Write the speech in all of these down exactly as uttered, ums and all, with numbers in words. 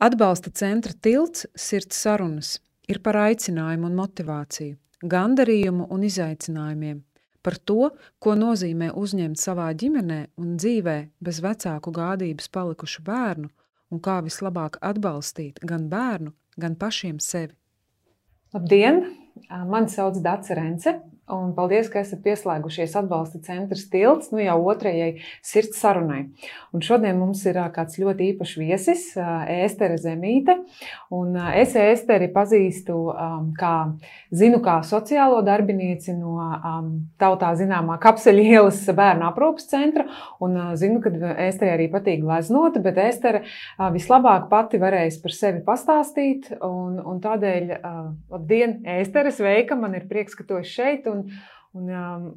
Atbalsta centra tilts Sirds sarunas ir par aicinājumu un motivāciju, gandarījumu un izaicinājumiem, par to, ko nozīmē uzņemt savā ģimenē un dzīvē bez vecāku gādības palikušu bērnu un kā vislabāk atbalstīt gan bērnu, gan pašiem sevi. Labdien! Mani sauc Dace Rence, un paldies, ka esat pieslēgušies atbalsta centrs tilts, nu jau otrajai Sirds sarunai. Un šodien mums ir kāds ļoti īpašs viesis, Ēstere Zemīte, un es Ēsteri pazīstu, kā, zinu kā sociālo darbinieci no tautā zināmā Kapseļa ielas bērnu aprūpes centra, un zinu, ka Ēsteri arī patīk gleznot, bet Ēstere vislabāk pati varēs par sevi pastāstīt, un, un tādēļ, labdien, Ēstere, sveika, man ir prieks, ka tu esi šeit, un, un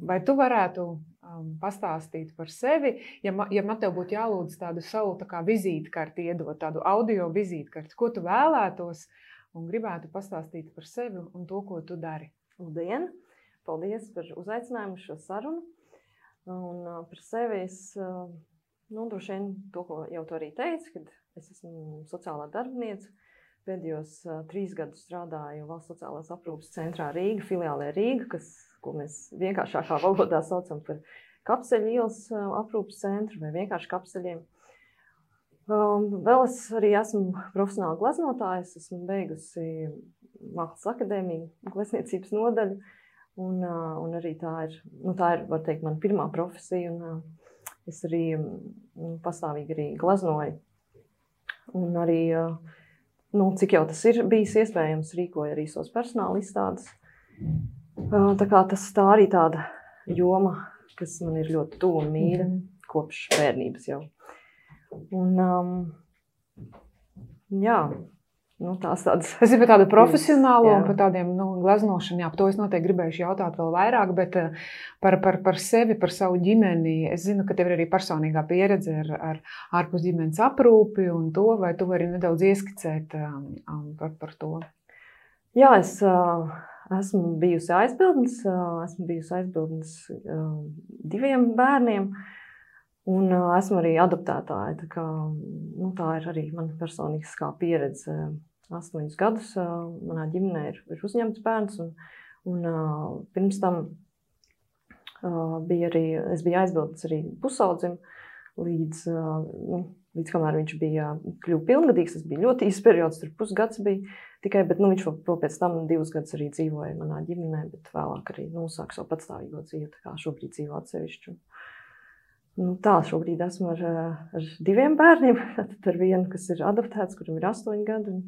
vai tu varētu um, pastāstīt par sevi, ja, ma, ja man tev būtu jālūdz tādu savu tā kā vizītkarti iedot, tādu audio vizītkarti, ko tu vēlētos un gribētu pastāstīt par sevi un to, ko tu dari? Labdien! Paldies par uzaicinājumu šo sarunu. Un uh, par sevi es, uh, nu, droši vien to, ko jau tu arī teici, kad es esmu sociālā darbiniece. Pēdējos uh, trīs gadus strādāju Valsts sociālās aprūpes centrā Rīga, filiālē Rīga, kas, ko mēs vienkāršākā valodā saucam par Kapseļa ielas uh, aprūpes centru vai vienkārši kapseļiem. Um, vēl es arī esmu profesionāla gleznotāja, es esmu beigusi Mākslas akadēmiju, glezniecības nodaļu, un, uh, un arī tā ir, nu, tā ir, var teikt, mana pirmā profesija, un uh, es arī um, pastāvīgi arī gleznoju. Un arī uh, Nu, cik jau tas ir bijis iespējams, rīkoja arī savas personāla izstādes. Tā kā tas tā arī tāda joma, kas man ir ļoti tuva un mīļa kopš bērnības jau. Un, um, jā, nu, tās tādas... Es ir par tādu profesionālo jā. Un par tādiem nu, gleznošanu, jā, par to es noteikti gribējuši jautāt vēl vairāk, bet par, par, par sevi, par savu ģimeni, es zinu, ka tev ir arī personīgā pieredze ar, ar ārpus ģimenes aprūpi un to, vai tu vari nedaudz ieskicēt um, par, par to? Jā, es uh, esmu bijusi aizbildnis, uh, esmu bijusi aizbildnis uh, diviem bērniem, un uh, esmu arī adoptētāja, tā kā, nu, tā ir arī mana personīgā pieredze. Astoņus gadus uh, manā ģimenē ir, ir uzņemts bērns, un, un uh, pirms tam uh, bija arī, es biju aizbildnis arī pusaudzim, līdz, uh, nu, līdz kamēr viņš bija kļuva pilngadīgs, tas bija ļoti īsts periods, tur pusgads bija tikai, bet nu, viņš vēl pēc tam divus gadus arī dzīvoja manā ģimenē, bet vēlāk arī nu, sāk savu patstāvīgo dzīvi, tā kā šobrīd dzīvo atsevišķu. Nu, tā, šobrīd esmu ar, ar diviem bērniem, tad ar vienu, kas ir adoptēts, kuram ir astoņi gadi, un,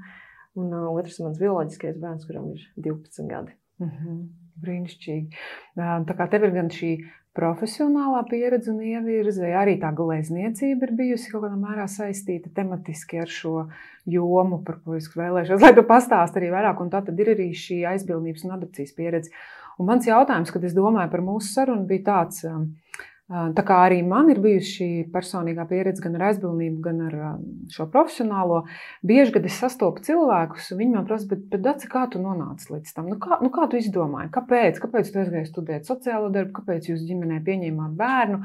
un uh, otrs ir mans bioloģiskais bērns, kuram ir divpadsmit gadi. Mm-hmm. Brīnišķīgi. Tā kā tev ir gan šī profesionālā pieredze un ievirze, arī tā glezniecība ir bijusi kaut kādā mērā saistīta tematiski ar šo jomu, par ko es vēlēšos, lai tu pastāsti arī vairāk, un tā tad ir arī šī aizbildnības un adopcijas pieredze. Un mans jautājums, kad es domāju par mūsu sarunu, bija tāds... Tā kā arī man ir bijusi šī personīgā pieredze gan ar aizbildnību, gan ar šo profesionālo, bieži, kad es sastopu cilvēkus, viņi man prasa, bet, bet Dace, kā tu nonāci līdz tam? Nu kā, nu kā tu izdomāji? Kāpēc? Kāpēc tu aizgāji studēt sociālo darbu? Kāpēc jūs ģimenē pieņēmāt bērnu?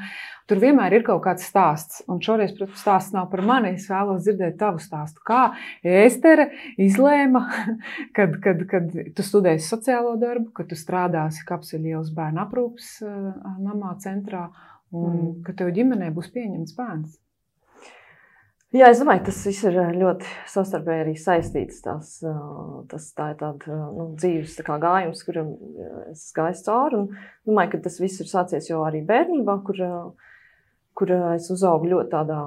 Tur vienmēr ir kaut kāds stāsts, un šoreiz, protams, stāsts nav par mani, es vēlos dzirdēt tavu stāstu. Kā Ēstere izlēma, kad, kad, kad tu studēsi sociālo darbu, kad tu strādāsi Kapseļa ielas bērnu aprūpes namā centrā, un mm. ka tev ģimenē būs pieņemts bērns? Jā, es domāju, tas viss ir ļoti savstarpēji arī saistīts. Tās, tas tā ir tāda nu, dzīves tā kā gājums, kuram es gāju cauri. Un domāju, ka tas viss ir sācies jau arī bērnībā, kur, kur es uzaugu ļoti tādā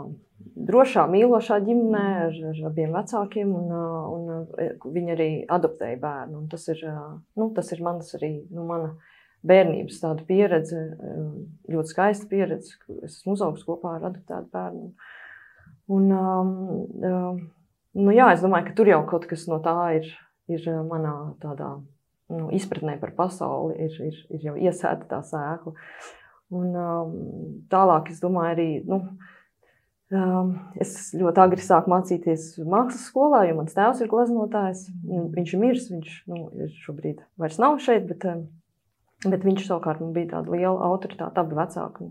drošā, mīlošā ģimenē ar, ar abiem vecākiem, un, un viņi arī adoptēja bērnu. Un tas ir, nu, tas ir mans arī, nu, mana bērnības tāda pieredze, ļoti skaista pieredze. Es esmu uzaugusi kopā ar adoptētu bērnu. Un, um, nu jā, es domāju, ka tur jau kaut kas no tā ir, ir manā tādā nu, izpratnē par pasauli, ir, ir, ir jau iesēta tā sēkla. Un um, tālāk, es domāju, arī, nu, um, es ļoti agri sāku mācīties mākslas skolā, jo mans tēvs ir gleznotājs. Viņš ir miris, viņš nu, ir šobrīd vairs nav šeit, bet Bet viņš savukārt man bija tāda liela autoritāte, abi vecāki.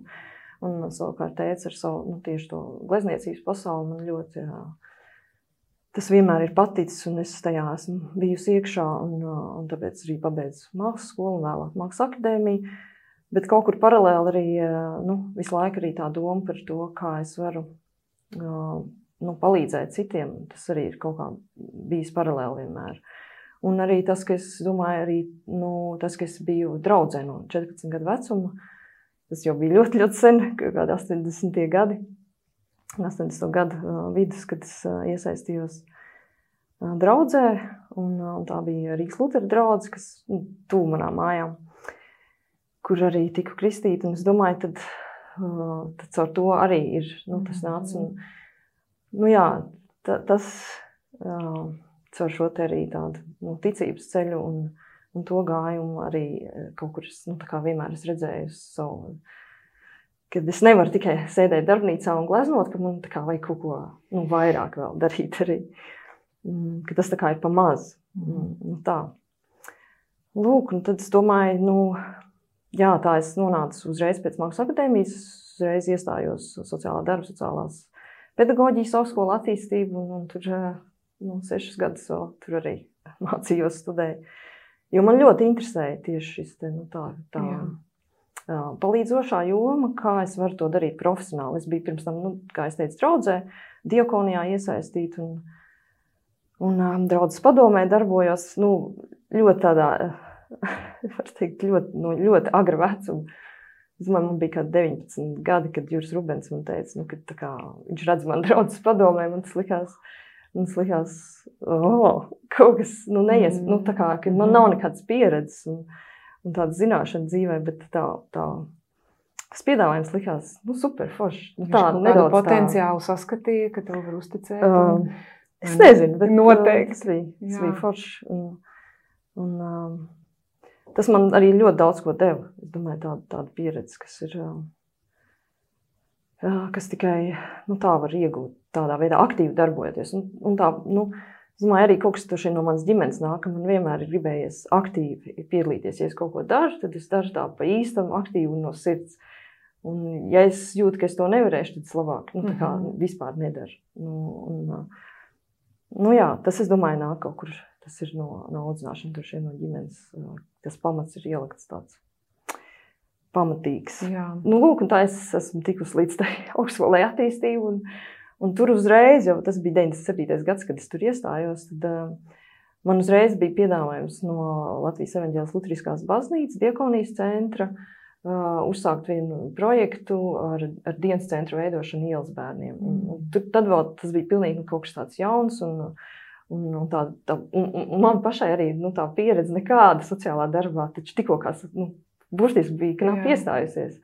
Un, un savukārt tēvs ar savu nu, tieši to glezniecības pasauli man ļoti jā, tas vienmēr ir paticis, un es tajā esmu bijusi iekšā, un, un tāpēc arī pabeidzu mākslas skolu un vēlāk mākslas akadēmiju. Bet kaut kur paralēli arī, nu, visu laiku arī tā doma par to, kā es varu nu, palīdzēt citiem. Tas arī ir kaut kā bijis paralēli vienmēr. Un arī tas, ka es domāju, arī, nu, tas, ka es biju draudzē no četrpadsmit gadu vecuma, tas jau bija ļoti, ļoti sen, kādi astoņdesmitie gadi, astoņdesmito gadu vidus, kad es iesaistījos draudzē, un, un tā bija Rīgas Lutera draudze, kas nu, tuvu manām mājām, kur arī tiku kristīta, un es domāju, tad, tad caur to arī ir, nu, tas nāca, un, nu jā, ta, tas caur šo te arī tādu nu, ticības ceļu un, un to gājumu arī kaut kur, nu, tā kā vienmēr es redzēju savu, kad es nevaru tikai sēdēt darbnīcā un gleznot, ka man tā kā vajag kaut ko, nu, vairāk vēl darīt arī, ka tas tā kā ir pa maz, nu, tā. Lūk, un tad es domāju, nu, jā, tā es nonācu uzreiz pēc mākslas akadēmijas, uzreiz iestājos sociālā darba, sociālās pedagoģijas augstskola attīstību, un, un tur nu, sešas gadus vēl tur arī mācījos, studēju. Jo man ļoti interesēja tieši šis te, nu, tā, tā jā. palīdzošā joma, kā es varu to darīt profesionāli. Es biju pirms tam, nu, kā es teicu, draudzē, diakonijā iesaistīt, un, un um, draudzes padomē darbojos, nu, ļoti tādā, var teikt, ļoti, nu, ļoti agra vecuma. Es domāju, man bija kādi deviņpadsmit gadi, kad Juris Rubens man teica, nu, kad tā kā viņš redz man draudzes padomē, man tas likās, man tas likās, oh, kaut kas, nu, neies, mm. nu, tā kā, ka man nav nekādas pieredzes un, un tāda zināšana dzīvē, bet tā, tā, tas piedāvājums likās, nu, super forši. Nu, tā, tādu potenciālu tā... saskatīja, ka tev var uzticēt. Un, um, es nezinu, bet noteikti. Tas bija, tas bija forši. Un, un, um, tas man arī ļoti daudz ko deva. Es domāju, tāda, tāda pieredze, kas ir, kas tikai, nu, tā var iegūt tādā veidā aktīvi darbojoties. Un, un tā, nu, es domāju, arī kaut kas tur no manas ģimenes nāk, ka man vienmēr ir gribējies aktīvi piedalīties. Ja es kaut ko daru, tad es daru tā pa īstam, aktīvi un no sirds. Un, ja es jūtu, ka es to nevarēšu, tad es labāk, nu, tā kā vispār nedaru. Nu, un, nu, jā, tas, es domāju, nāk kaut kur. Tas ir no, no audzināšana, tur šeit no ģimenes. Tas pamats ir ielikts tāds pamatīgs. Jā. Nu, lūk, un tā es esmu tikus līdz tai augstskolai attīstību. Un, un tur uzreiz, jau tas bija deviņdesmit septītais gads, kad es tur iestājos, tad uh, man uzreiz bija piedāvājums no Latvijas Evaņģēliskās Luteriskās baznīcas, Diakonijas centra, uh, uzsākt vienu projektu ar, ar dienas centru veidošanu ielas bērniem. Un, un tur, tad vēl tas bija pilnīgi nu, kaut kas tāds jauns un Un, un, tā, tā, un, un man pašai arī nu, tā pieredze nekāda sociālā darbā, taču tikko kā nu, burtiski bija knapi iestājusies.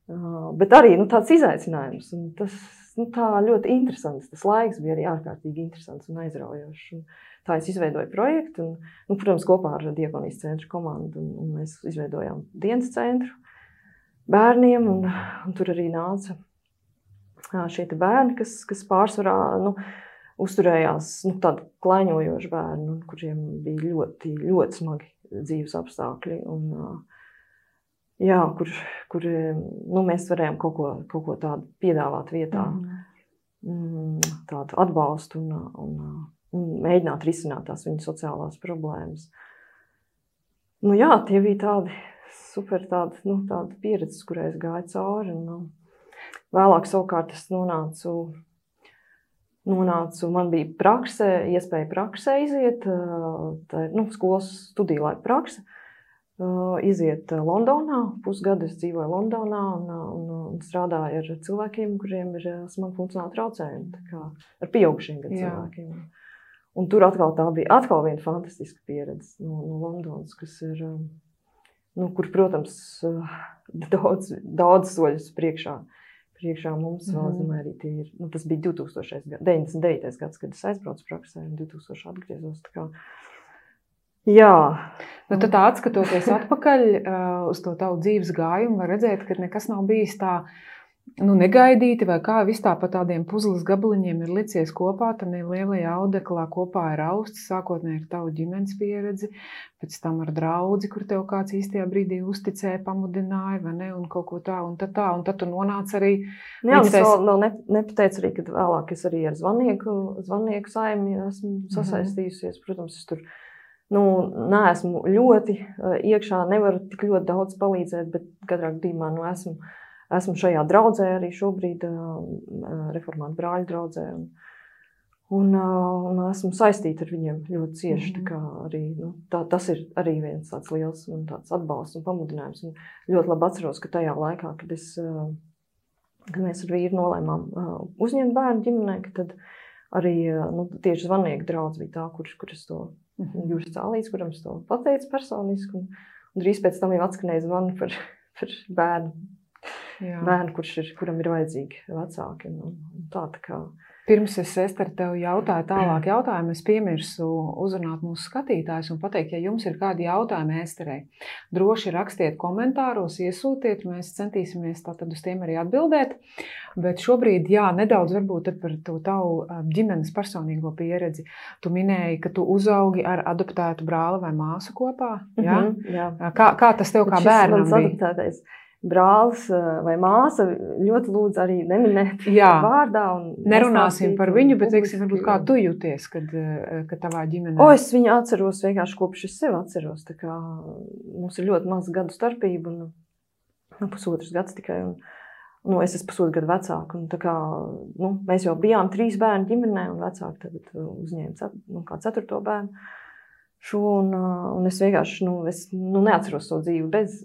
Uh, bet arī nu, tāds izaicinājums. Un tas nu, tā ļoti interesants. Tas laiks bija arī ārkārtīgi interesants un aizraujošs. Un tā es izveidoju projektu, un, nu, protams, kopā ar Diakonijas centru komandu. Un, un mēs izveidojām dienas centru bērniem, un, un tur arī nāca šie te bērni, kas, kas pārsvarā... Nu, uzturējās nu, tādi klaiņojoši bērni, kuriem bija ļoti, ļoti smagi dzīves apstākļi. Un, jā, kur, kur nu, mēs varējām kaut ko, kaut ko tādu piedāvāt vietā, mm. tādu atbalstu un, un, un mēģināt risināt tās viņu sociālās problēmas. Nu, jā, tie bija tādi super tādi, nu, tādi pieredzes, kurai es gāju cauri. Un, vēlāk savukārt es nonācu Nonācu, man bija prakse, iespēja praksē iziet, tā ir nu, skolas studiju laika prakse, iziet Londonā, pusgadu es dzīvoju Londonā un, un, un strādāju ar cilvēkiem, kuriem ir smagi funkcionāli traucējumi, tā kā ar pieaugušiem gan cilvēkiem. Un tur atkal tā bija atkal viena fantastiska pieredze no, no Londonas, kas ir, nu, kur, protams, daudz, daudz soļus priekšā. Priekšā mums vēl, es domāju, arī tie ir, nu, tas bija deviņdesmit devītais gads, kad es aizbraucu praksē, un divtūkstošais atgriezos, tā kā, jā. Nu, tad tā atskatoties atpakaļ uh, uz to tavu dzīves gājumu, var redzēt, ka nekas nav bijis tā, nu, negaidīti, vai kā vis tā pa tādiem puzles gabaliņiem ir licies kopā, tad lielajā audeklā kopā ir austs, sākotnēji ir tavu ģimenes pieredzi, pēc tam ar draudzi, kur tev kāds īstajā brīdī uzticēja, pamudināja, vai ne, un kaut ko tā, un tad tā, un tad tu nonāc arī... Jā, un es vēl, vēl ne, nepateicu arī, kad vēlāk es arī ar zvannieku, zvannieku saimi esmu sasaistījusies, protams, es tur, nu, neesmu ļoti iekšā, nevaru tik ļoti daudz palīdzēt, bet katrā gadījumā, nu, esmu Esmu šajā draudzē arī šobrīd, reformātu brāļu draudzē, un, un, un esmu saistīta ar viņiem ļoti cieši. Mm-hmm. Tā kā arī, nu, tā, tas ir arī viens tāds liels un tāds atbalsts un pamudinājums. Un ļoti labi atceros, ka tajā laikā, kad, es, kad mēs ar vīru nolēmām uzņemt bērnu ģimenē, ka tad arī nu, tieši zvannieku draudz bija tā, kur, kur es to mm-hmm. Jūras Cālīts, kuram es to pateicu personiski, un, un drīz pēc tam jau atskanēja zvani par, par bērnu. Jā. Bērnu, kurš ir, kuram ir vajadzīgi vecāki. Un, un tā, tā kā... Pirms es, Ester, tev jautāju tālāk jautājumu, es piemirsu uzrunāt mūsu skatītājus un pateikt, ja jums ir kādi jautājumi Esterei, droši rakstiet komentāros, iesūtiet, mēs centīsimies tātad uz tiem arī atbildēt. Bet šobrīd, jā, nedaudz varbūt par to tavu ģimenes personīgo pieredzi. Tu minēji, ka tu uzaugi ar adoptētu brāli vai māsu kopā. Jā? Mm-hmm, jā. Kā, kā tas tev kā bērnam bija? Brālis vai māsa ļoti lūdzu arī neminēt Jā. Vārdā. Un nerunāsim par viņu, bet teiksim, varbūt kā tu jūties, kad, kad tavā ģimenē? O, es viņu atceros vienkārši kopš es sevi atceros. Tā kā mums ir ļoti maza gadu starpība un nu, pusotrs gads tikai. Un, nu, es esmu pusotru gadu vecāka. Un tā kā, nu, mēs jau bijām trīs bērnu ģimenē un vecāki tagad uzņēma nu, kā ceturto bērnu. Šo, un, un es vienkārši nu, es, nu, neatceros to dzīvi bez,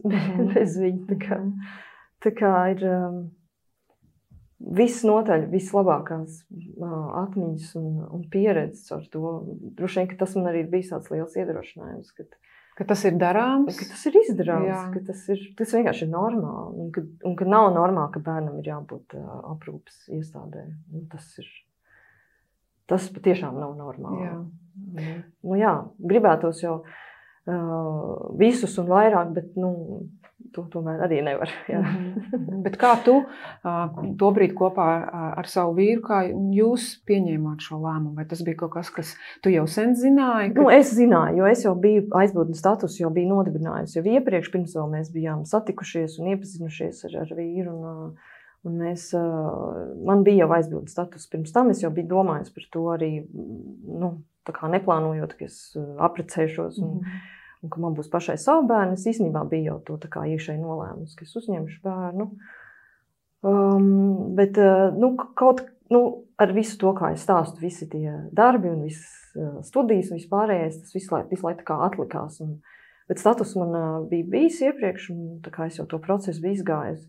bez viņa. Tā kā, tā kā ir um, viss notaļ, vislabākās uh, atmiņas un, un pieredzes ar to. Droši vien, ka tas man arī ir bijis tāds liels iedrošinājums. Kad, ka tas ir darāms? Ka tas ir izdarāms, Jā. Ka tas, ir, tas vienkārši ir normāli. Un ka, un ka nav normāli, ka bērnam ir jābūt uh, aprūpes iestādē. Un tas ir, tas patiešām nav normāli. Jā. Nu, jā, gribētos jau uh, visus un vairāk, bet nu, to tomēr arī nevar. Jā. Bet kā tu uh, tobrīd kopā ar, ar savu vīru, kā jūs pieņēmāt šo lēmumu? Vai tas bija kaut kas, kas tu jau sen zināji? Ka... Nu, es zināju, jo es jau biju aizbūtnes status, jau biju nodibinājusi. Jau iepriekš, pirms vēl mēs bijām satikušies un iepazinušies ar, ar vīru. Un, uh, Un mēs, man bija jau aizbildnis status. Pirms tam es jau biju domājis par to arī, nu, tā kā neplānojot, ka es apprecēšos un, mm. un ka man būs pašai savu bērnu. Es īstenībā biju jau to tā kā iekšēji nolēmus, ka es uzņemšu bērnu. Um, bet, nu, kaut, nu, ar visu to, kā es stāstu, visi tie darbi un visas studijas un vispārējais, tas visu laiku, visu laiku tā kā atlikās. Un, bet status man bija bijis iepriekš, un tā kā es jau to procesu biju izgājis.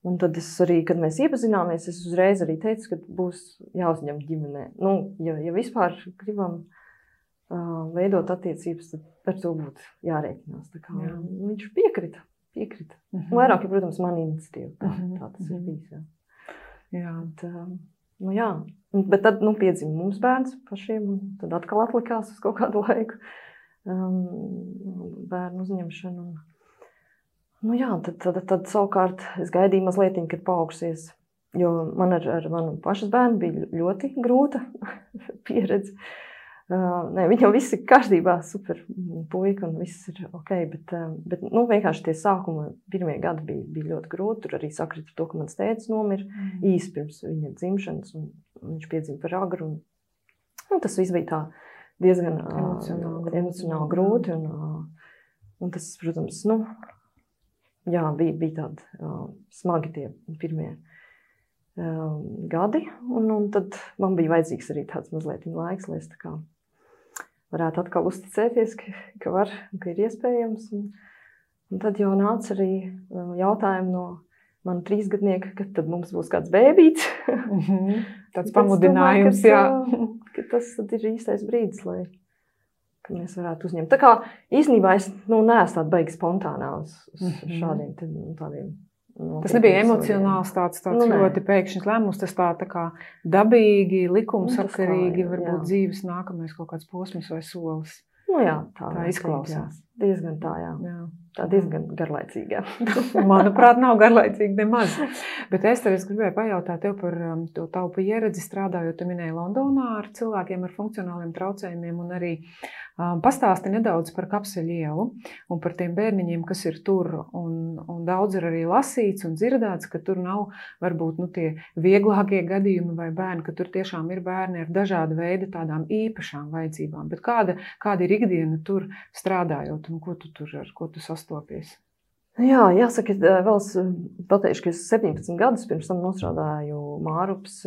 Un tad es arī, kad mēs iepazināmies, es uzreiz arī teicu, ka būs jāuzņem ģimenē. Nu, ja, ja vispār gribam uh, veidot attiecības, tad par to būtu jārēķinās. Tā kā, jā. Viņš piekrita, piekrita. Uh-huh. Vairāk, ja, protams, man iniciatīva. Tā, uh-huh. tā tas ir bijis, jā. Jā. Bet, uh, nu, jā. Bet tad, nu, piedzima mums bērns pašiem, un tad atkal atlikās uz kaut kādu laiku um, bērnu uzņemšanu. Un, Nu jā, tad, tad, tad savukārt es gaidīju mazliet, kad paaugsies, jo man ar, ar manu pašas bērnu bija ļoti grūta pieredze. Uh, ne, viņi jau visi ir kārtībā, super puika un viss ir ok, bet, uh, bet nu, vienkārši tie sākuma pirmie gadi bija, bija ļoti grūti. Tur arī sakrita to, ka mans tētis nomira mm. īsi pirms viņa dzimšanas, un viņš piedzima par agru. Un, un tas viss bija tā diezgan emocionāli, uh, emocionāli grūti. Un, uh, un tas, protams, nu, jā, bija, bija tādi uh, smagi tie pirmie uh, gadi, un, un tad man bija vajadzīgs arī tāds mazliet laiks, lai es tā kā varētu atkal uzticēties, ka, ka var, ka ir iespējams. Un, un tad jau nāca arī uh, jautājumi no mana trīsgadnieka, kad tad mums būs kāds bēbīts. Mm-hmm. Tāds pamudinājums, domāju, jā. Ka tas tad ir īstais brīdis, lai ka mēs varētu uzņemt. Tā kā īstenībā es nu, neesmu tāda baigi spontānā uz, uz mm-hmm. šādiem tādiem. Tas nebija emocionāls tāds, tāds nu, ļoti pēkšņs lēmums, tas tā, tā kā dabīgi, likumsakarīgi, nu, varbūt jā. dzīves nākamais kaut kāds posms vai solis. Nu jā, tā, tā izklausās. diezgan tā, jā. jā. Tā diezgan garlaicīga. Manuprāt, nav garlaicīgi nemaz. Bet es tev es gribēju pajautāt tev par um, to tavu pieredzi strādājot, tu minēji Londonā ar cilvēkiem ar funkcionāliem traucējumiem un arī um, pastāsti nedaudz par Kapseļu ielu un par tiem bērniņiem, kas ir tur. Un, un daudz ir arī lasīts un dzirdēts, ka tur nav varbūt nu, tie vieglākie gadījumi vai bērni, ka tur tiešām ir bērni ar dažādu veidu tādām īpašām vajadzībām. Bet kāda, kāda ir ikdiena tur strādājot un ko tu tur ar ko tu sastāvi? Stopies. Jā, jāsaka, vēl es pateikšu, ka es septiņpadsmit gadus pirms tam nostrādāju Mārupas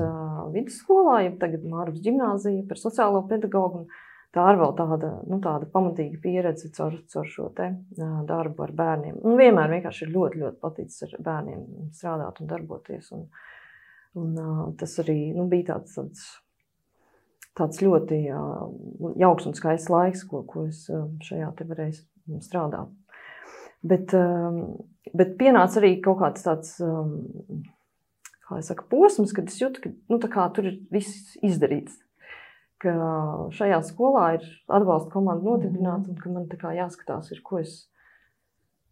vidusskolā, ja tagad Mārupas ģimnāzija par sociālo pedagogu. Tā ir vēl tāda, nu, tāda pamatīga pieredze caur, caur šo te darbu ar bērniem. Un vienmēr vienkārši ir ļoti, ļoti paticis ar bērniem strādāt un darboties. Un, un tas arī nu, bija tāds, tāds, tāds ļoti jauks un skaists laiks, ko, ko es šajā te varēju strādāt. Bet, bet pienāca arī kaut kāds tāds, kā es saku, posms, kad es jūtu, ka nu, tā kā tur ir viss izdarīts. Ka šajā skolā ir atbalsta komanda nodibināta un ka man tā kā jāskatās, ir, ko es,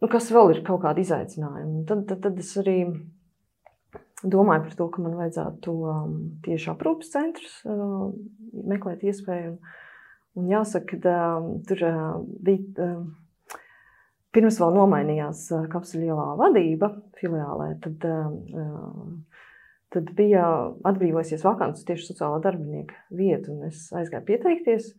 nu, kas vēl ir kaut kādi izaicinājumi. Tad, tad, tad es arī domāju par to, ka man vajadzētu tieši aprūpes centrus meklēt iespēju. Un, un jāsaka, ka tur bija... Pirms vēl nomainījās Kapseļu ielā vadība filiālē, tad, tad bija atbrīvojusies vakants tieši sociālā darbinieka vietu, un es aizgāju pieteikties,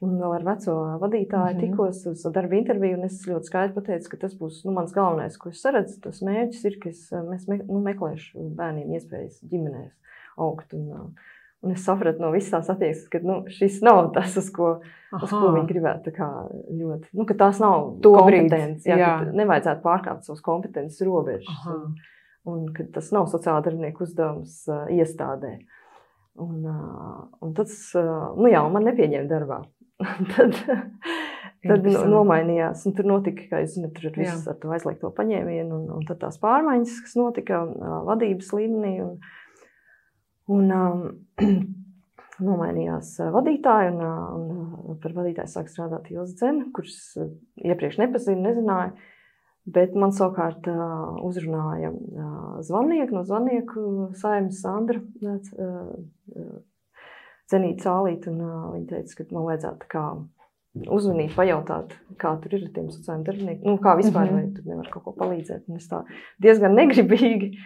un vēl ar veco vadītāju tikos uz darba interviju, un es ļoti skaidri pateicu, ka tas būs nu, mans galvenais, ko es saredzu, tas mērķis ir, ka es mēs me, nu, meklēšu bērniem iespējas ģimenēs augt, un, un es sapratu no visas tās attieksmes, ka nu, šis nav tas, uz ko, uz ko viņi gribētu tā kā ļoti, nu, ka tās nav kompetences, jā, jā. Ka nevajadzētu pārkāpt savas kompetences robežas, un, un ka tas nav sociāla darbinieku uzdevums uh, iestādē. Un, uh, un tas, uh, nu jā, man nepieņēma darbā. tad tad nu, nomainījās, un tur notika, kā jūs zināt, tur viss ar to aizliegto paņēmienu, un, un tad tās pārmaiņas, kas notika uh, vadības līmenī, un Un um, nomainījās vadītāji, un, un par vadītāju sāk strādāt Ilze Dzene, kurš iepriekš nepazinu, nezināju, bet man savukārt uh, uzrunāja uh, zvannieku no zvannieku saimnes Sandra uh, Cenīta Cālīta, un uh, viņa teica, ka man vajadzētu kā uzvanīt, pajautāt, kā tur ir ar tiem sociālajiem darbiniekiem, nu kā vispār, mm-hmm. vai tur nevar kaut ko palīdzēt, un es tā diezgan negribīgi,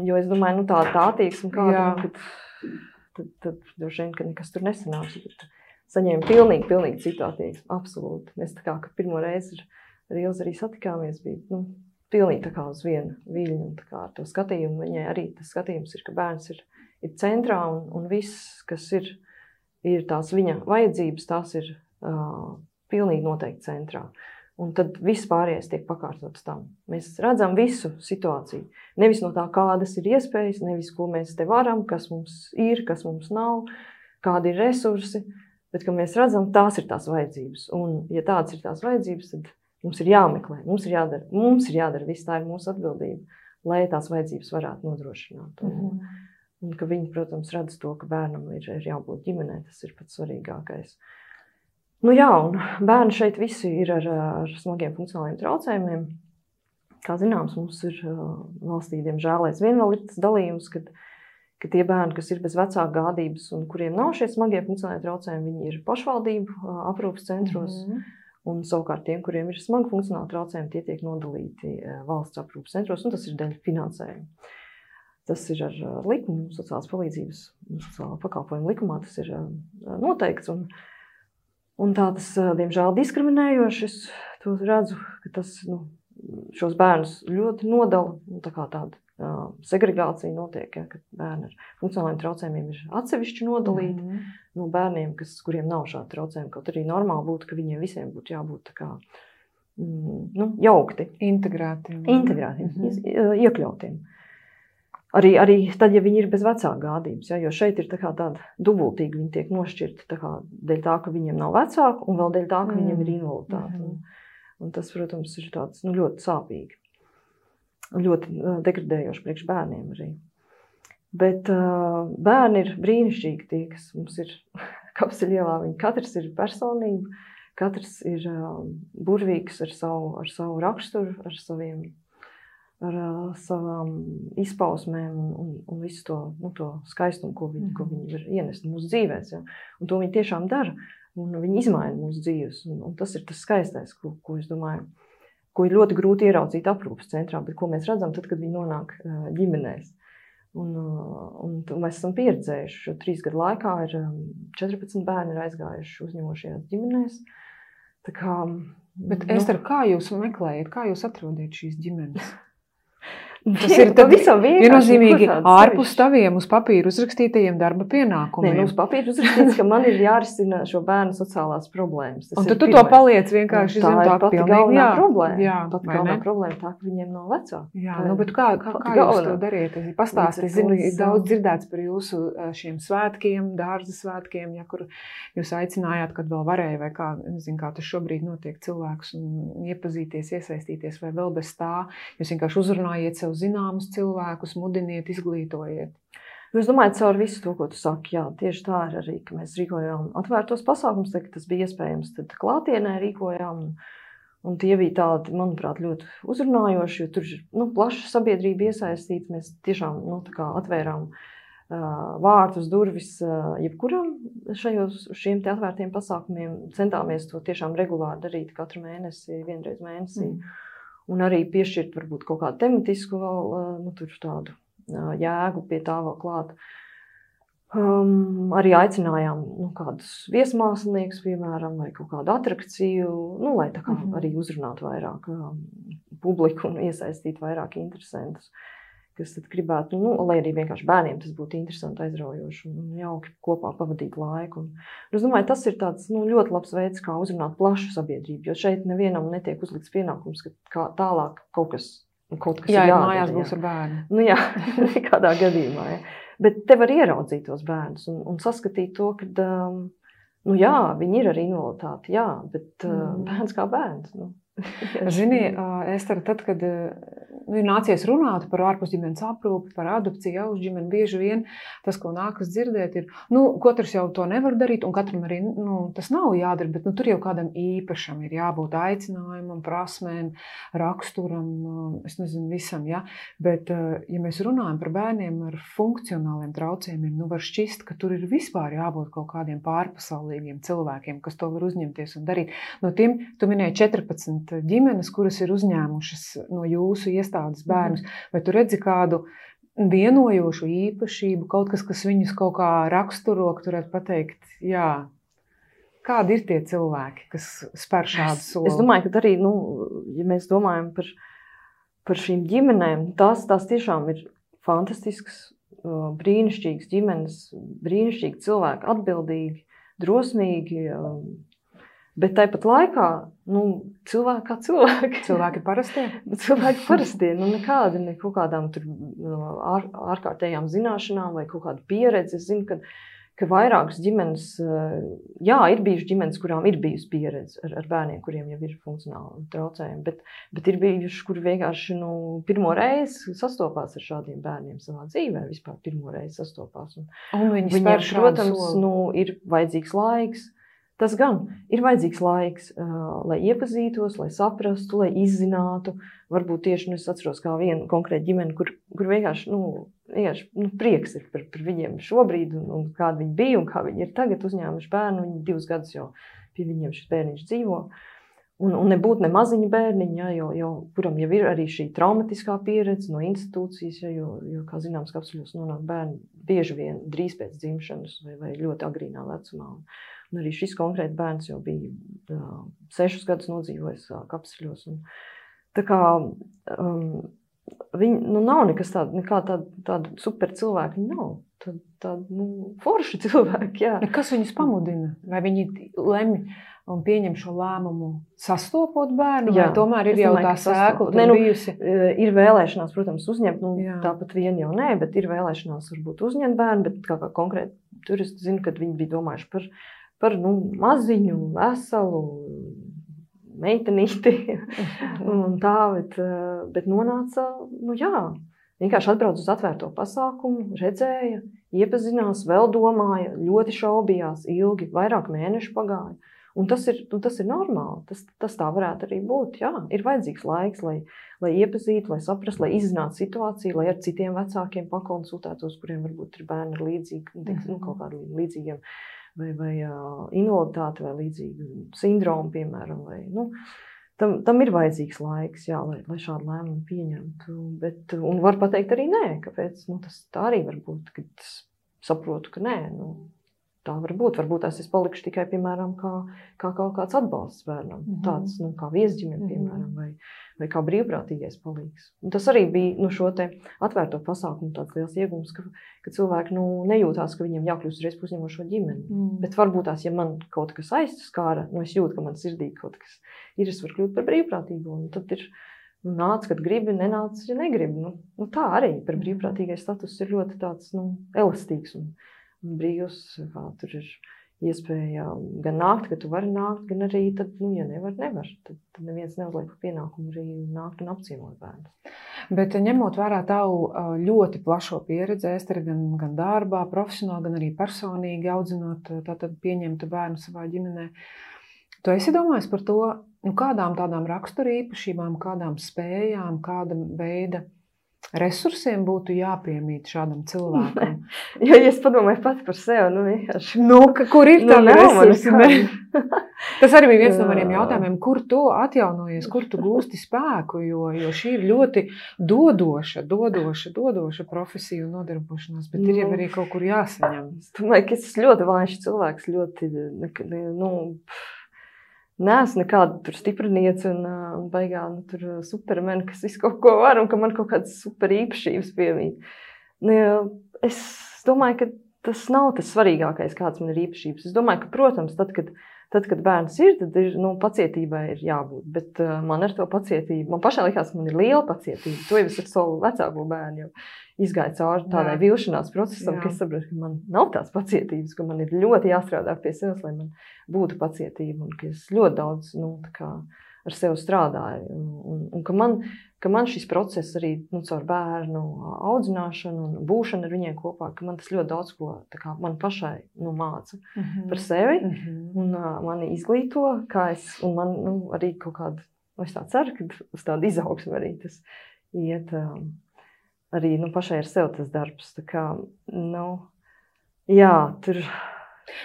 jo es domāju, nu tā, tā attieksme kāda, kad tad, tad droši vien, ka nekas tur nesanāks. Saņēmu pilnīgi, pilnīgi citu attieksmi, absolūti. Mēs tā kā, kad pirmo reizi ar Ilzi arī satikāmies, bija nu, pilnīgi tā kā uz vienu viļņu, un tā kā ar to skatījumu. Viņai arī tas skatījums ir, ka bērns ir, ir centrā, un, un viss, kas ir, ir tās viņa vajadzības, tās ir uh, pilnīgi noteikti centrā. Un tad viss pārējais tiek pakārtots tam. Mēs redzam visu situāciju. Nevis no tā, kādas ir iespējas, nevis, ko mēs te varam, kas mums ir, kas mums nav, kādi ir resursi, bet, ka mēs redzam, tās ir tās vajadzības. Un, ja tādas ir tās vajadzības, tad mums ir jāmeklē, mums ir jādara, mums ir jādara viss, tā ir mūsu atbildība, lai tās vajadzības varētu nodrošināt. Un, mm-hmm. un ka viņi, protams, redz to, ka bērnam ir, ir jābūt ģimenē, tas ir pats svarīgākais. Nu jā, un bērni šeit visi ir ar, ar smagiem funkcionāliem traucējumiem. Kā zināms, mums ir valstī, diemžēl, aizvien vēl ir tas dalījums, kad, ka tie bērni, kas ir bez vecāku gādības un kuriem nav šie smagie funkcionālie traucējumi, viņi ir pašvaldību aprūpes centros. Mm-hmm. Un savukārt tiem, kuriem ir smagi funkcionāli traucējumi, tie tiek nodalīti valsts aprūpes centros, un tas ir dēļ finansējuma. Tas ir ar likumu, sociālās palīdzības, sociālā pakalpojuma likumā, tas ir noteikts. Un, Un tā tas, diemžēl, diskriminējoši. Es to redzu, ka tas nu, šos bērnus ļoti nodala. Tā kā tāda uh, segregācija notiek, ja, kad bērni ar funkcionāliem traucējumiem ir atsevišķi nodalīti mm-hmm. no bērniem, kas, kuriem nav šādi traucējumi. Kaut arī normāli būtu, ka viņiem visiem būtu jābūt tā kā, mm, nu, jaukti. Integrētiem. Integrētiem, mm-hmm. iekļautiem. Arī, arī tad, ja viņi ir bez vecāku gādības, ja, jo šeit ir tā kā tāda dubultīgi, viņi tiek nošķirti tā kā dēļ tā, ka viņiem nav vecāku, un vēl dēļ tā, ka mm. viņiem ir invaliditāte. Mm. Un, un tas, protams, ir tāds, nu, ļoti sāpīgi. Ļoti uh, degradējoši priekš bērniem arī. Bet uh, bērni ir brīnišķīgi tie, kas mums ir Kapseļu ielā. Viņi katrs ir personība, katrs ir burvīgs ar savu, ar savu raksturu, ar saviem, ar savām izpausmēm un, un, un visu to, nu, to skaistumu, ko viņi, ko viņi var ienest mūsu dzīvēs. Ja? Un to viņi tiešām dara, un viņi izmaina mūsu dzīves. Un, un tas ir tas skaistais, ko, ko es domāju, ko ir ļoti grūti ieraudzīt aprūpes centrā, bet ko mēs redzam tad, kad viņi nonāk ģimenēs. Un, un, un mēs esam pieredzējuši, šo trīs gadu laikā ir četrpadsmit bērni ir aizgājuši uzņemošajās ģimenēs. Tā kā, bet, nu, Ester, kā jūs meklējat, kā jūs atrodiet šīs ģimenes? Tas ir pavisam viennozīmīgi ārpus taviem uz papīra uzrakstītajiem darba pienākumiem. Nē, nu uz papīra uzrakstīts, ka man ir jārisina šo bērnu sociālās problēmas. Tas un tad tu pirmais. To paliec vienkārši zem tā, tā pati galvenā jā, problēma. Jā, pati galvenā problēma tā, ka viņiem nav vecāki. Jā, nu, bet kā, kā, kā jūs to dariet? Pastāsti, es zinu, ir daudz dzirdēts par jūsu šiem svētkiem, dārza svētkiem, ja, kur jūs aicinājāt, kad vēl varēja, vai kā, nezinu, kā tas šobrīd notiek cilvēkus un iepazīties, iesaistīties, vai vēl bez tā. Jūs vienkārši uzrunājiet sev zināmus cilvēkus, mudiniet, izglītojiet. Es domāju, caur visu to, ko tu saki, jā, tieši tā ir arī, ka mēs rīkojām atvērtos pasākums, tad, tas bija iespējams, tad klātienē rīkojām, un, un tie bija tādi, manuprāt, ļoti uzrunājoši, jo tur ir, nu, plaša sabiedrība iesaistīta, mēs tiešām, nu, tā kā atvērām uh, vārtus, durvis uh, jebkuram šajos, šiem te atvērtiem pasākumiem, centāmies to tiešām regulāri darīt katru mēnesi, vienreiz mēnesī. Mm. Un arī piešķirt varbūt kaut kādu tematisku vēl, nu, tur tādu jēgu pie tā vēl klāt. Um, arī aicinājām, nu, kādus viesmāksliniekus, piemēram, vai kaut kādu atrakciju, nu, lai tā kā mm-hmm. arī uzrunātu vairāk um, publiku un iesaistītu vairāk interesantus, kas tad gribētu, nu, lai arī vienkārši bērniem tas būtu interesanti, aizraujoši un jauki kopā pavadīt laiku. Un, es domāju, tas ir tāds, nu, ļoti labs veids, kā uzrunāt plašu sabiedrību, jo šeit nevienam netiek uzlikts pienākums, ka kā tālāk kaut kas, kaut kas jā, ir jādara. Mājās būs ar bērnu. Nu jā, nekādā gadījumā, jā. Bet te var ieraudzīt tos bērnus un, un saskatīt to, ka, um, nu jā, viņi ir ar invaliditāti, jā, bet uh, mm. bērns kā bērns, nu. Zini, Ester, tad, kad nu, ir nācies runāt par ārpusģimenes aprūpi, par adopciju, uzģimeni, bieži vien tas, ko nākas dzirdēt, ir, nu, katrs jau to nevar darīt, un katram arī, nu, tas nav jādara, bet, nu, tur jau kādam īpašam ir jābūt aicinājumam, prasmēm, raksturam, es nezinu, visam, ja, bet, ja mēs runājam par bērniem ar funkcionāliem traucējumiem, nu, var šķist, ka tur ir vispār jābūt kaut kādiem pārpasaulīgiem cilvēkiem, kas to var uzņemties un darīt. No tiem, tu minēji četrpadsmit ģimenes, kuras ir uzņēmušas no jūsu iestādes bērnus, vai tu redzi kādu vienojošu īpašību, kaut kas, kas viņus kaut kā raksturo, ka tu varētu pateikt, jā, kādi ir tie cilvēki, kas spēr šādu soli? Es domāju, ka arī, nu, ja mēs domājam par, par šīm ģimenēm, tās, tās tiešām ir fantastisks, brīnišķīgas ģimenes, brīnišķīgi cilvēki, atbildīgi, drosmīgi, bet tāpat laikā, nu, cilvēki kā cilvēki. Cilvēki parastie? Cilvēki parastie, nu, nekādi, ne kaut kādām tur ār, ārkārtējām zināšanām vai kaut kādu pieredzi. Es zinu, ka, ka vairākas ģimenes, jā, ir bijuši ģimenes, kurām ir bijusi pieredze ar, ar bērniem, kuriem jau ir funkcionāli traucējumi, bet, bet ir bijuši, kuri vienkārši, nu, pirmo reizi sastopās ar šādiem bērniem savā dzīvē, vispār pirmo reizi sastopās. Un, un viņi viņiem, spēr šādu protams, soli. Nu, ir vajadzīgs laiks. Tas gan ir vajadzīgs laiks, uh, lai iepazītos, lai saprastu, lai izzinātu. Varbūt tieši, nu, es atceros kā vienu konkrētu ģimeni, kur, kur vienkārši, nu, vienkārši nu, prieks ir par, par viņiem šobrīd un, un kādi viņi bija un kā viņi ir tagad uzņēmuši bērnu. Viņi divus gadus jau pie viņiem šis bērniņš dzīvo. Un, un nebūtu ne maziņa bērniņa, ja, jo, jo, kuram jau ir arī šī traumatiskā pieredze no institūcijas, ja, jo, jo, kā zināms, kapsuļos nonāk bērni bieži vien drīz pēc dzimšanas vai, vai ļoti agrīnā vecumā. Un, un arī šis konkrēti bērns jau bija uh, sešus gadus nodzīvojis uh, kapsuļos. Un, tā kā um, viņi, nu, nav nekas tāda, nekā tāda, tāda super cilvēki, viņi nav. Tāda, tāda, nu, forši cilvēki, jā. Kas viņus pamudina? Vai viņi lemj un pieņem šo lēmumu sastopot bērnu, jā, vai tomēr ir jau tā sēkla tur nu, bijusi? Ir vēlēšanās, protams, uzņemt, nu, jā. Tāpat vien jau nē, bet ir vēlēšanās varbūt uzņemt bērnu, bet kā, kā konkrēti tur es zinu, kad viņi bija domājuši par, par nu, maziņu, veselu, meitenīti un tā, bet, bet nonāca, nu jā, vienkārši atbrauc uz atvērto pasākumu, redzēja, iepazinās, vēl domāja, ļoti šaubījās ilgi, vairāk mēnešu pagāja. Un tas ir, un tas ir normāli, tas, tas tā varētu arī būt. Jā, ir vajadzīgs laiks, lai, lai iepazītu, lai saprastu, lai izzinātu situāciju, lai ar citiem vecākiem pakonsultētos, kuriem varbūt ir bērni ar līdzīgi, nu, kaut kādiem līdzīgiem vai, vai uh, invaliditāti vai līdzīgu sindromu, piemēram. Vai, nu, tam, tam ir vajadzīgs laiks, jā, lai, lai šādu lēmumu pieņemtu. Bet, un var pateikt arī nē, kāpēc. Nu, tas tā arī var būt, kad es saprotu, ka nē. Nu, tā var būt. Varbūt es palikšu tikai, piemēram, kā, kā kaut kāds atbalsts bērnam. Mm -hmm. Tāds, nu, kā viesģimene, piemēram, vai, vai kā brīvprātīgais palīgs. Un tas arī bija nu, šo te atvērto pasākumu tāds liels iegums, ka, ka cilvēki nu, nejūtās, ka viņiem jākļūst uzreiz par uzņemošo ģimeni. Mm. Bet varbūt tās, ja man kaut kas aizskāra, nu, es jūtu, ka man sirdī kaut kas ir, es varu kļūt par brīvprātīgu. Un tad ir nu, nāc, kad gribi, nenāc, ja negribi. Nu, nu, tā arī par brīvprātīgais status ir ļoti tāds nu, elastīgs un brīvs, kā tur ir iespēja gan nākt, ka tu vari nākt, gan arī, tad, nu, ja nevar, nevar. Tad, tad neviens neuzliek par pienākumu arī nākt un apciemot bērnu. Bet ņemot vērā tavu ļoti plašo pieredzi, Ester, gan, gan darbā, profesionāli, gan arī personīgi audzinot, tātad pieņemtu bērnu savā ģimenē, tu esi domājis par to, nu, kādām tādām raksturīpašībām, kādām spējām, kāda veida resursiem būtu jāpiemīt šādam cilvēkam? Jo, ja es padomāju pati par sevi, nu vienkārši. Nu, ka, kur ir tādi nu, resursi? Tas arī bija viens no maniem jautājumiem, kur tu atjaunojies, kur tu gūsti spēku, jo, jo šī ir ļoti dodoša, dodoša, dodoša profesija un nodarbošanās, bet ir jau arī kaut kur jāsaņem. Es domāju, ka es esmu ļoti vājš cilvēks, ļoti, nu, neesmu nekāda tur stipriniece un, un baigā nu, tur supermeni, kas visu kaut ko var un ka man kaut kādas super īpašības piemīt. Es domāju, ka tas nav tas svarīgākais, kāds man ir īpašības. Es domāju, ka, protams, tad, kad, tad, kad bērns ir, tad ir, nu, pacietībai ir jābūt. Bet uh, man ar to pacietību, man pašai likās, ka man ir liela pacietība. To jau es ar savu vecāko bērnu jau izgāju cauri tādai vilšanās procesam, Jā. Ka es saprotu, ka man nav tās pacietības, ka man ir ļoti jāstrādā pie sevis, lai man būtu pacietība un ka es ļoti daudz, nu, tā kā ar sevi strādāju. Un, un, un ka, man, ka man šis process arī, nu, caur bērnu audzināšanu un būšanu ar viņiem kopā, ka man tas ļoti daudz ko, tā kā man pašai, nu, māca mm-hmm. par sevi mm-hmm. un uh, mani izglīto, kā es, un man, nu, arī kaut kādu, nu, es tā ceru, ka uz tādu izaugsmu arī tas iet, um, arī, nu, pašai ar sevi tas darbs, tā kā, nu, jā, tur...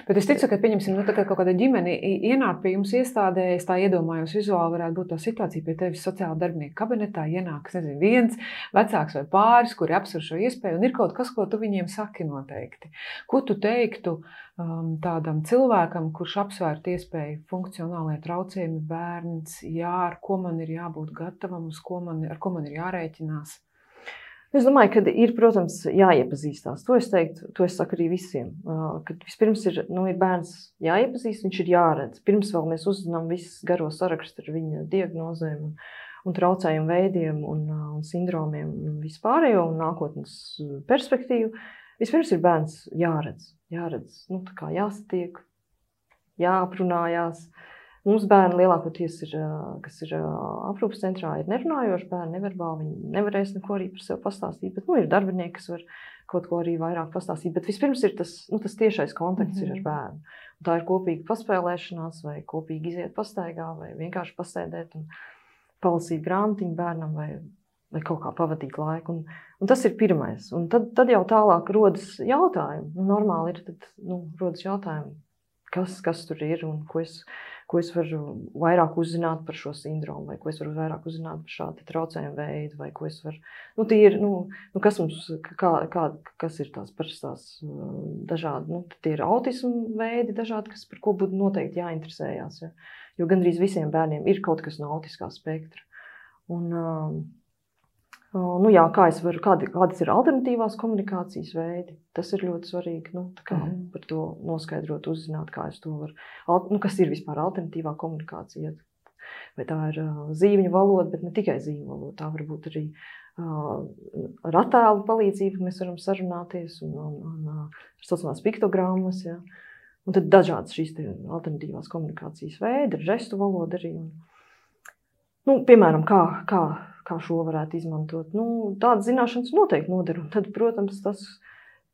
Bet es ticu, ka, pieņemsim, nu, tā kā kaut kāda ģimene ienāk pie jums iestādē, es tā iedomājos vizuāli varētu būt tā situācija pie tevis sociāla darbinieka kabinetā, ienāk, es nezinu, viens vecāks vai pāris, kuri apsver šo iespēju, un ir kaut kas, ko tu viņiem saki noteikti. Ko tu teiktu um, tādam cilvēkam, kurš apsvērt iespēju funkcionālajie traucējumi, bērns, jā, ar ko man ir jābūt gatavam, uz ko man, ar ko man ir jārēķinās? Es domāju, ka ir, protams, jāiepazīstās. To es teiktu, to es saku arī visiem. Kad vispirms ir, nu, ir bērns jāiepazīst, viņš ir jāredz. Pirms vēl mēs uzzinām visu garo sarakstu ar viņa diagnozēm un, un traucējumu veidiem un, un sindromiem un vispārējo un nākotnes perspektīvu. Vispirms ir bērns jāredz. Jāredz, nu, tā kā jāsatiek, jāaprunājās. Mums bērni lielākoties ir, kas ir aprūpas centrā, ir nerunājoši bērni, neverbāli, viņi nevarēs neko arī par sevi pastāstīt, bet, nu, ir darbinieki, kas var kaut ko arī vairāk pastāstīt, bet vispirms ir tas, nu, tas tiešais kontakts mm-hmm. ir ar bērnu. Un tā ir kopīga paspēlēšanās, vai kopīgi iziet pastaigā, vai vienkārši pasēdēt un palasīt grāmatiņu bērnam, vai, vai kaut kā pavadīt laiku. Un, un tas ir pirmais. Un tad, tad jau tālāk rodas jautājumi. Nu, normāli ir, tad, nu, rodas jautājumi, kas, kas tur ir un ko es... ko es varu vairāk uzzināt par šo sindromu, vai ko es varu vairāk uzzināt par šādu traucējumu veidu, vai ko es varu, nu, tie ir, nu, nu kas mums, kā, kā, kas ir tās parastās dažādi, nu, tie ir autismu veidi dažādi, kas par ko būtu noteikti jāinteresējās, ja? Jo gandrīz visiem bērniem ir kaut kas no autiskā spektra. Un, nu, jā, kā es varu, kādi, kādas ir alternatīvās komunikācijas veidi, tas ir ļoti svarīgi, nu, tā kā mm. par to noskaidrot, uzzināt, kā es to varu, nu, kas ir vispār alternatīvā komunikācija, vai tā ir uh, zīmju valoda, bet ne tikai zīmju valoda, tā var būt arī uh, ar attēlu palīdzību, mēs varam sarunāties, un, un, un uh, sociālās piktogrammas, ja, un tad dažādas šīs alternatīvās komunikācijas veidi, ar žestu valodu arī, un, nu, piemēram, kā, kā kā šo varētu izmantot. Nu, tādas zināšanas noteikti noder. Un tad, protams, tas,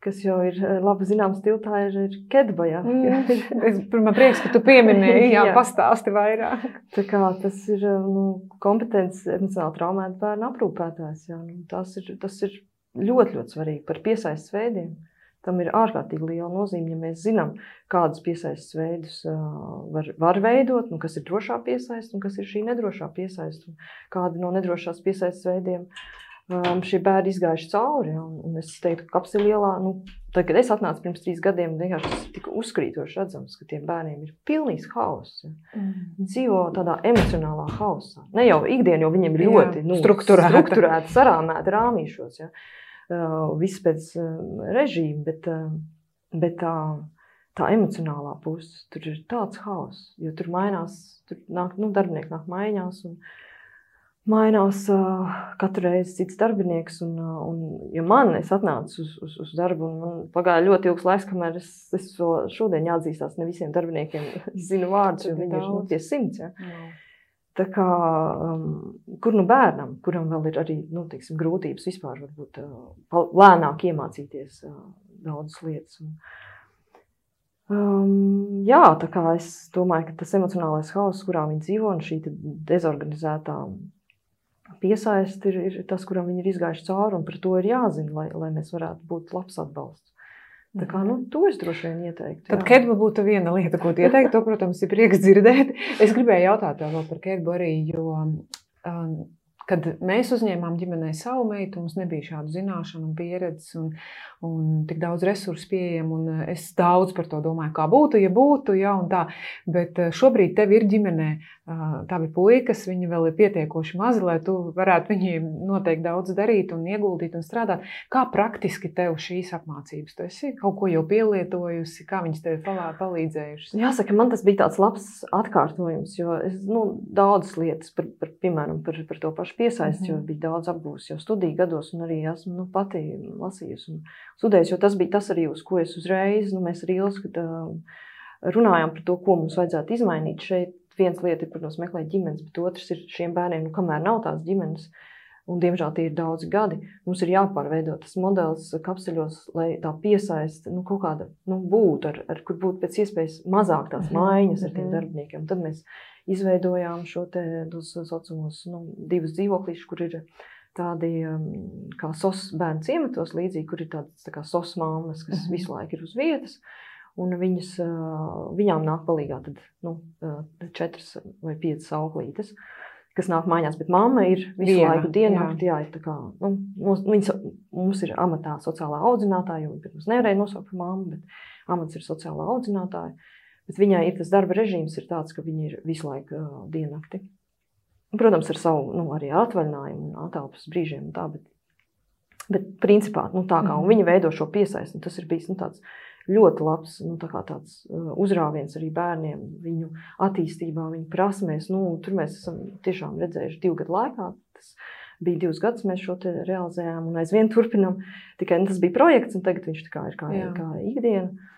kas jau ir labi zināms tiltā, ir, ir kedba, jā. Mm, es, man prieks, ka tu pieminēji, jā, jā. Pastāsti vairāk. Tā kā tas ir nu, kompetents emocionāli traumēta bērna aprūpētājs, jā. Nu, tas, ir, tas ir ļoti, ļoti svarīgi par piesaistes veidiem. Tam ir ārkārtīgi liela nozīme, ja mēs zinām, kādus piesaistes veidus uh, var, var veidot, nu, kas ir drošā piesaiste un kas ir šī nedrošā piesaiste. Kādi no nedrošās piesaistes veidiem um, šie bērni izgājuši cauri. Ja, un, un es teiktu, ka Kapselielā, nu, tad, kad es atnācu pirms trīs gadiem, vienkārši tas tika uzkrītoši redzams, ka tiem bērniem ir pilnīgs hauss. Ja. Mm. Viņi dzīvo tādā emocionālā hausā. Ne jau ikdien, jo viņiem ir ļoti nu, strukturēti, sarāmēti rāmīšos. Ja. Uh, viss pēc uh, režīma, bet, uh, bet tā, tā emocionālā puse, tur ir tāds hauss, jo tur mainās, tur nāk, nu, darbinieki nāk maiņās un mainās uh, katru reizi cits darbinieks un, uh, un ja man, es atnācu uz, uz, uz darbu un man pagāja ļoti ilgs laiks, kamēr es, es šodien jāatzīstās ne visiem darbiniekiem, es zinu vārdus, jo viņi ir nu, tie simts, ja. Jā. Tā kā, um, kur nu bērnam, kuram vēl ir arī, nu, teiksim, grūtības vispār varbūt uh, lēnāk iemācīties uh, daudzas lietas. Un, um, jā, tā kā es domāju, ka tas emocionālais hauss, kurā viņi dzīvo, un šī dezorganizētā piesaiste ir, ir tas, kuram viņi ir izgājuši cauri, un par to ir jāzina, lai, lai mēs varētu būt labs atbalsts. Tā kā, nu, to es droši vien ieteiktu. Tad kedba būtu viena lieta, ko tu ieteiktu, to, protams, ir prieks dzirdēt. Es gribēju jautāt tev vēl par kedbu arī, jo, um, kad mēs uzņēmām ģimenei savu meitu, mums nebija šādu zināšanu un pieredzes un, un tik daudz resursu pieejam, un es daudz par to domāju, kā būtu, ja būtu, ja, un tā. Bet šobrīd tev ir ģimenē tavi puikas, viņi vēl ir pietiekoši mazi, lai tu varētu viņiem noteikti daudz darīt un ieguldīt un strādāt. Kā praktiski tev šīs apmācības? Tu esi kaut ko jau pielietojusi, kā viņas tev palīdzējušas? Jāsaka, man tas bija tāds labs atkārtojums, jo es, nu, daudzas lietas, par, par, piemēram, par, par to pašu piesaisti, mm-hmm. jo bija daudz apgūs jau studiju gados un arī esmu, nu, pati lasījusi un studējusi, jo tas bija tas arī, uz ko es uzreiz, nu, mēs ar Ilzi, kad uh, runājām par to, ko mums vajadzētu izmainīt šeit. Viens lieta ir, protams, meklēt ģimenes, bet otrs ir šiem bērniem, nu, kamēr nav tās ģimenes, un diemžēl tie ir daudzi gadi, mums ir jāpārveido tas modelis Kapseļos, lai tā piesaiste, nu, kaut kāda, nu, būtu, ar, ar, kur būtu pēc iespējas mazāk tās maiņas ar tiem darbiniekiem. Un tad mēs izveidojām šo te, tos saucamos, nu, divus dzīvoklīšus, kur ir tādi, um, kā sos bērnu ciematos līdzīgi, kur ir tādas, tā kā sos mammas, kas visu laiku ir uz vietas. Un viņas, viņām nāk palīgā tad, nu, četras vai piecas auklītes, kas nāk mājās, bet mamma ir visu Diena, laiku diennakti, jā. Jā, ir tā kā, nu, mums, viņas, mums ir amatā sociālā audzinātāja, jo viņa pirms nevarēja nosaukt par mammu, bet amats ir sociālā audzinātāja, bet viņai ir tas darba režīms ir tāds, ka viņa ir visu laiku uh, diennakti. Protams, ar savu, nu, arī atvaļinājumu un atelpas brīžiem un tā, bet, bet principā, nu, tā kā, un viņa veido šo piesaisti, tas ir bijis, nu, tāds ļoti labs, nu, tā kā tāds uzrāviens arī bērniem, viņu attīstībā, viņu prasmēs. Nu, tur mēs esam tiešām redzējuši divu gadu laikā. Tas bija divus gadus, mēs šo te realizējām un aizvien turpinām. Tikai tas bija projekts, un tagad viņš tā kā ir kā, kā ikdiena.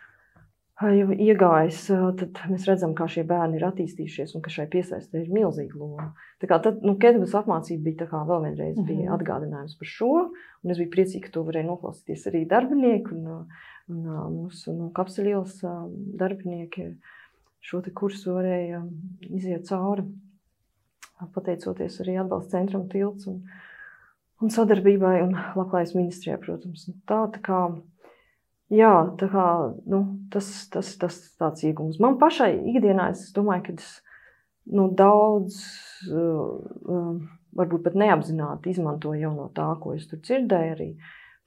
Jau iegājis, tad mēs redzam, kā šie bērni ir attīstījušies un ka šai piesaistē ir milzīga loma. Tā kā tad, nu, kedbas apmācība bija tā kā vēl vienreiz bija atgādinājums par šo, un es biju priecīga, ka to varēja noklausīties arī darbinieki un Un mūsu no Kapseļielas darbinieki šo te kursu varēja iziet cauri, pateicoties arī atbalsta centram Tilts un, un sadarbībai un Labklājības ministrijai, protams. Tā, tā kā, jā, tā kā, nu, tas, tas, tas tāds iegums. Man pašai ikdienā, es domāju, ka es, nu, daudz, uh, varbūt pat neapzināti izmantoju jau no tā, ko es tur dzirdēju arī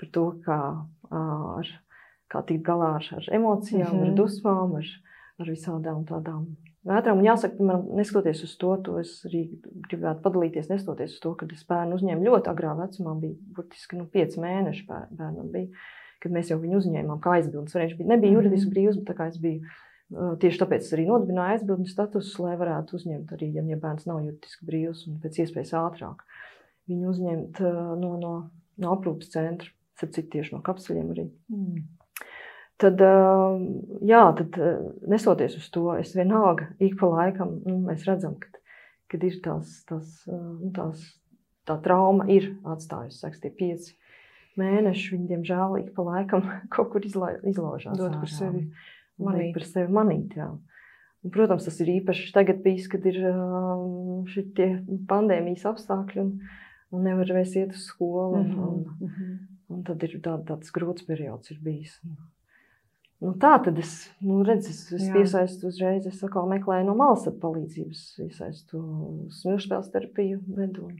par to, kā uh, ar kā tikt galā ar, ar emocijām, mm-hmm. ar dusmām, ar, ar visādām tādām vētrām. Un jāsaka, piemēram, neskatoties uz to, to es arī gribētu padalīties, neskatoties uz to, kad es bērnu uzņēmu ļoti agrā vecumā, bija burtiski, nu, pieci mēneši bērnam bija, kad mēs jau viņu uzņēmām kā aizbildnes. Viņš bija, nebija juridiski brīvs, bet tā kā es biju, tieši tāpēc es arī nodibināju aizbildnes statusus, lai varētu uzņemt arī, ja, ja bērns nav juridiski brīvs un pēc iespējas ātrāk viņu uzņemt no, no, no aprūpes centra, cik tieši no Kapseļiem arī. Mm. Tad, jā, tad nesoties uz to, es vienalga ik pa laikam, nu, mēs redzam, kad, kad ir tās, tās, nu, tās, tā trauma ir atstājusi, saks, tie pieci, mēnešu viņi, diemžēl, ik pa laikam kaut kur izla, izlaužās. Dod par sevi manīt. Par sevi manīt, jā. Un, protams, tas ir īpaši tagad bijis, kad ir šitie pandēmijas apstākļi un, un nevar vairs iet uz skolu. Un, un, mm-hmm. un tad ir tā, tāds grūts periods ir bijis. Nu, tā tad es, nu, redz, es, es iesaistu uzreiz, es atkal meklēju no malas palīdzības, iesaistu smilšspēles terapiju vedu un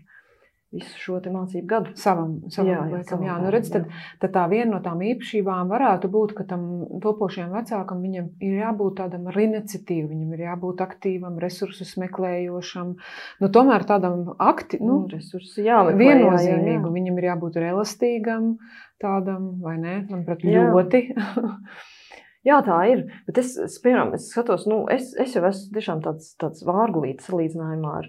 visu šo te mācību gadu. Savam, savam jā, jā, liekam, jā. Nu, redz, tad, tad tā viena no tām īpašībām varētu būt, ka tam topošajam vecākam viņam ir jābūt tādam ar iniciatīvu, viņam ir jābūt aktīvam, resursus meklējošam, nu, tomēr tādam akti, nu, nu resursi jāmeklē, viennozīmīgu, jā, jā. Viņam ir jābūt ar elastīgam tādam, vai ne, manuprāt, ļoti. Jā, tā ir, bet es, es piemēram, es skatos, nu, es, es jau esmu tiešām tāds, tāds vārgulīts salīdzinājumā ar,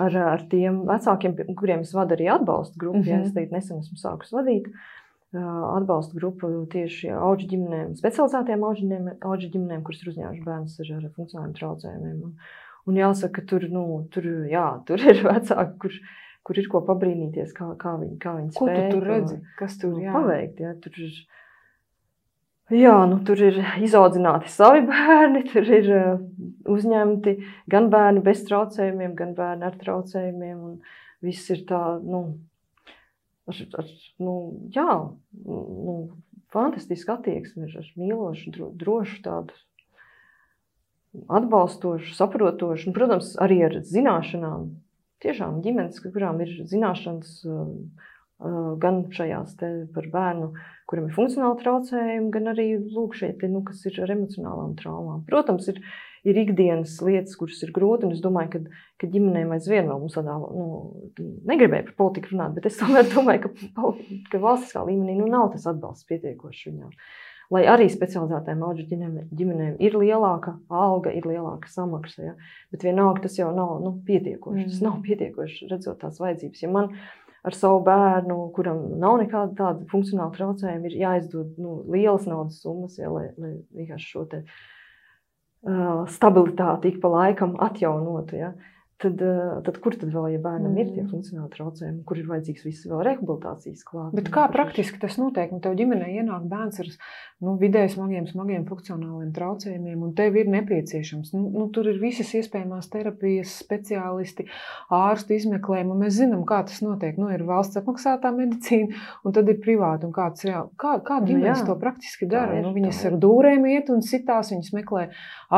ar, ar tiem vecākiem, kuriem es vadu arī atbalstu grupu, mm-hmm. ja es teikt, nesen esmu sākus vadīt uh, atbalstu grupu tieši auģu ģimenēm, specializētiem auģu ģimenēm, auģu ģimenēm, kuras ir uzņēmuši bērnus ar, ar funkcionāliem traucējumiem. Un, un jāsaka, ka tur, nu, tur, jā, tur ir vecāki, kur, kur ir ko pabrīnīties, kā, kā viņi, kā viņi spēj. Ko tu tur redzi? Kas tur, jā? Paveikt, jā, tur ir. Jā, nu tur ir izaudzināti savi bērni, tur ir uh, uzņemti gan bērni bez traucējumiem, gan bērni ar traucējumiem, un viss ir tā, nu, ar, ar, nu jā, nu, fantastiski attieksmi, ar mīlošu, dro, drošu tādu, atbalstošu, saprotošu, un, protams, arī ar zināšanām. Tiešām ģimenes, kurām ir zināšanas uh, uh, gan šajās te par bērnu, kuram ir funkcionāli traucējumi, gan arī lūk šeit, nu, kas ir ar emocionālām traumām. Protams, ir, ir ikdienas lietas, kuras ir grūti, un es domāju, ka, ka ģimenēm aizvien vēl mums tādā, nu, negribēju par politiku runāt, bet es tomēr domāju, ka, ka valstiskā līmenī nu, nav tas atbalsts pietiekošs viņām. Lai arī specializētām auģu ģimenēm ir lielāka alga, ir lielāka samaksa, ja? Bet vienalga tas jau nav nu, pietiekoši, mm. tas nav pietiekoši redzot tās vajadzības. Ja man ar savu bērnu, kuram nav nekāda tāda funkcionāla traucējuma, ir jāizdod nu, lielas naudas summas, ja, lai, lai vienkārši šo te uh, stabilitāti ik pa laikam atjaunotu. Ja. Tad, uh, tad kur tad vēl, ja bērnam mm. ir tie funkcionāli traucējumi, kur ir vajadzīgs viss vēl rehabilitācijas klāt? Bet kā praktiski tas notiek? Nu, tev ģimenē ienāk bērns ar nu, vidēji smagiem, smagiem funkcionāliem traucējumiem, un tev ir nepieciešams. Nu, nu, tur ir visas iespējamās terapijas, speciālisti, ārstu izmeklējumi, un mēs zinām, kā tas notiek. Nu, ir valsts apmaksātā medicīna, un tad ir privāti. Un kā, tas reāli, kā, kā ģimenes nu, to praktiski dara? Ir, nu, viņas ar dūrēm iet un sitās, viņas meklē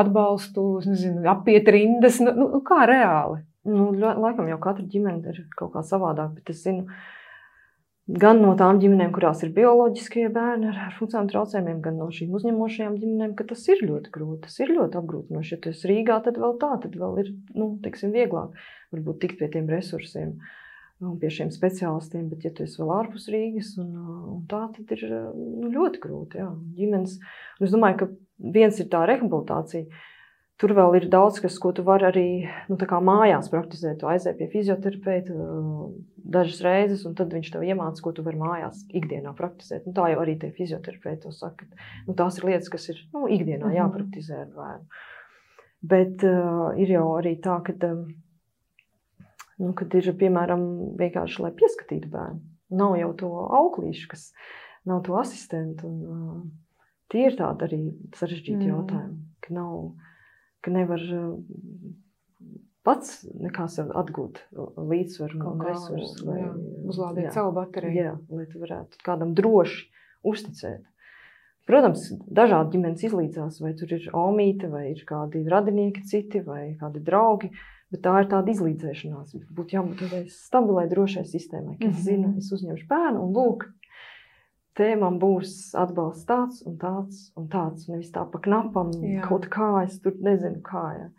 atbalstu, nezinu, apiet rindas. Nu, nu, kā reāli? Nu, laikam jau katra ģimene ir kaut kā savādāk, bet es zinu, gan no tām ģimenēm, kurās ir bioloģiskie bērni ar, ar funkcionāliem traucējumiem, gan no šīm uzņemošajām ģimenēm, ka tas ir ļoti grūti, tas ir ļoti apgrūtinoši. Ja tu esi Rīgā, tad vēl tā, tad vēl ir, nu, teiksim, vieglāk varbūt tikt pie tiem resursiem un pie šiem speciālistiem, bet ja tu esi vēl ārpus Rīgas un, un tā, tad ir nu, ļoti grūti, jā, ģimenes. Un es domāju, ka viens ir tā rehabilitācija. Tur vēl ir daudz, kas, ko tu vari arī nu, tā kā mājās praktizēt. Tu aizēji pie fizioterapeita dažas reizes, un tad viņš tev iemāca, ko tu vari mājās ikdienā praktizēt. Nu, tā jau arī tie fizioterapeiti to saka. Nu, tās ir lietas, kas ir nu, ikdienā jāpraktizē ar bērnu. Bet uh, ir jau arī tā, kad, um, nu, kad ir, piemēram, vienkārši, lai pieskatītu bērnu. Nav jau to auklīšu, kas nav to asistentu. Un, uh, tie ir tādi arī sarežģīti mm. jautājumi, ka nav... ka nevar pats nekā sev atgūt līdzsvaru un resursus. Lai, uzlādēt jā, savu bateriju. Jā, lai tu varētu kādam droši uzticēt. Protams, dažādi ģimenes izlīdzās, vai tur ir omīte, vai ir kādi radinieki citi, vai kādi draugi, bet tā ir tāda izlīdzēšanās. Būtu jābūt tādai stabilai, drošai sistēmai, ka es mm-hmm. zinu, es uzņemšu bērnu un lūk, te man būs atbalsts tāds un tāds un tāds. Nevis tā pa knapam, jā. Kaut kā, es tur nezinu kā. Jā.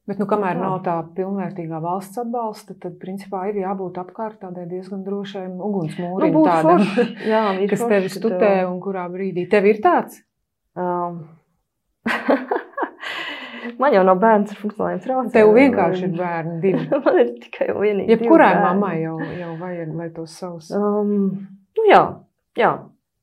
Bet, nu, kamēr nav tā pilnvērtīgā valsts atbalsta, tad, principā, ir jābūt apkārt tādai diezgan drošai ugunsmūrim nu, tādam, jā, kas tevi studē un kurā brīdī. Tev ir tāds? Um. Man jau nav bērns ar funkcionāliem traucējumiem. Tev vienkārši ir bērni divi. Man ir tikai vienīgi Jebkurai mammai jau, jau vajag, lai tos savus. Um, nu jā. Jā,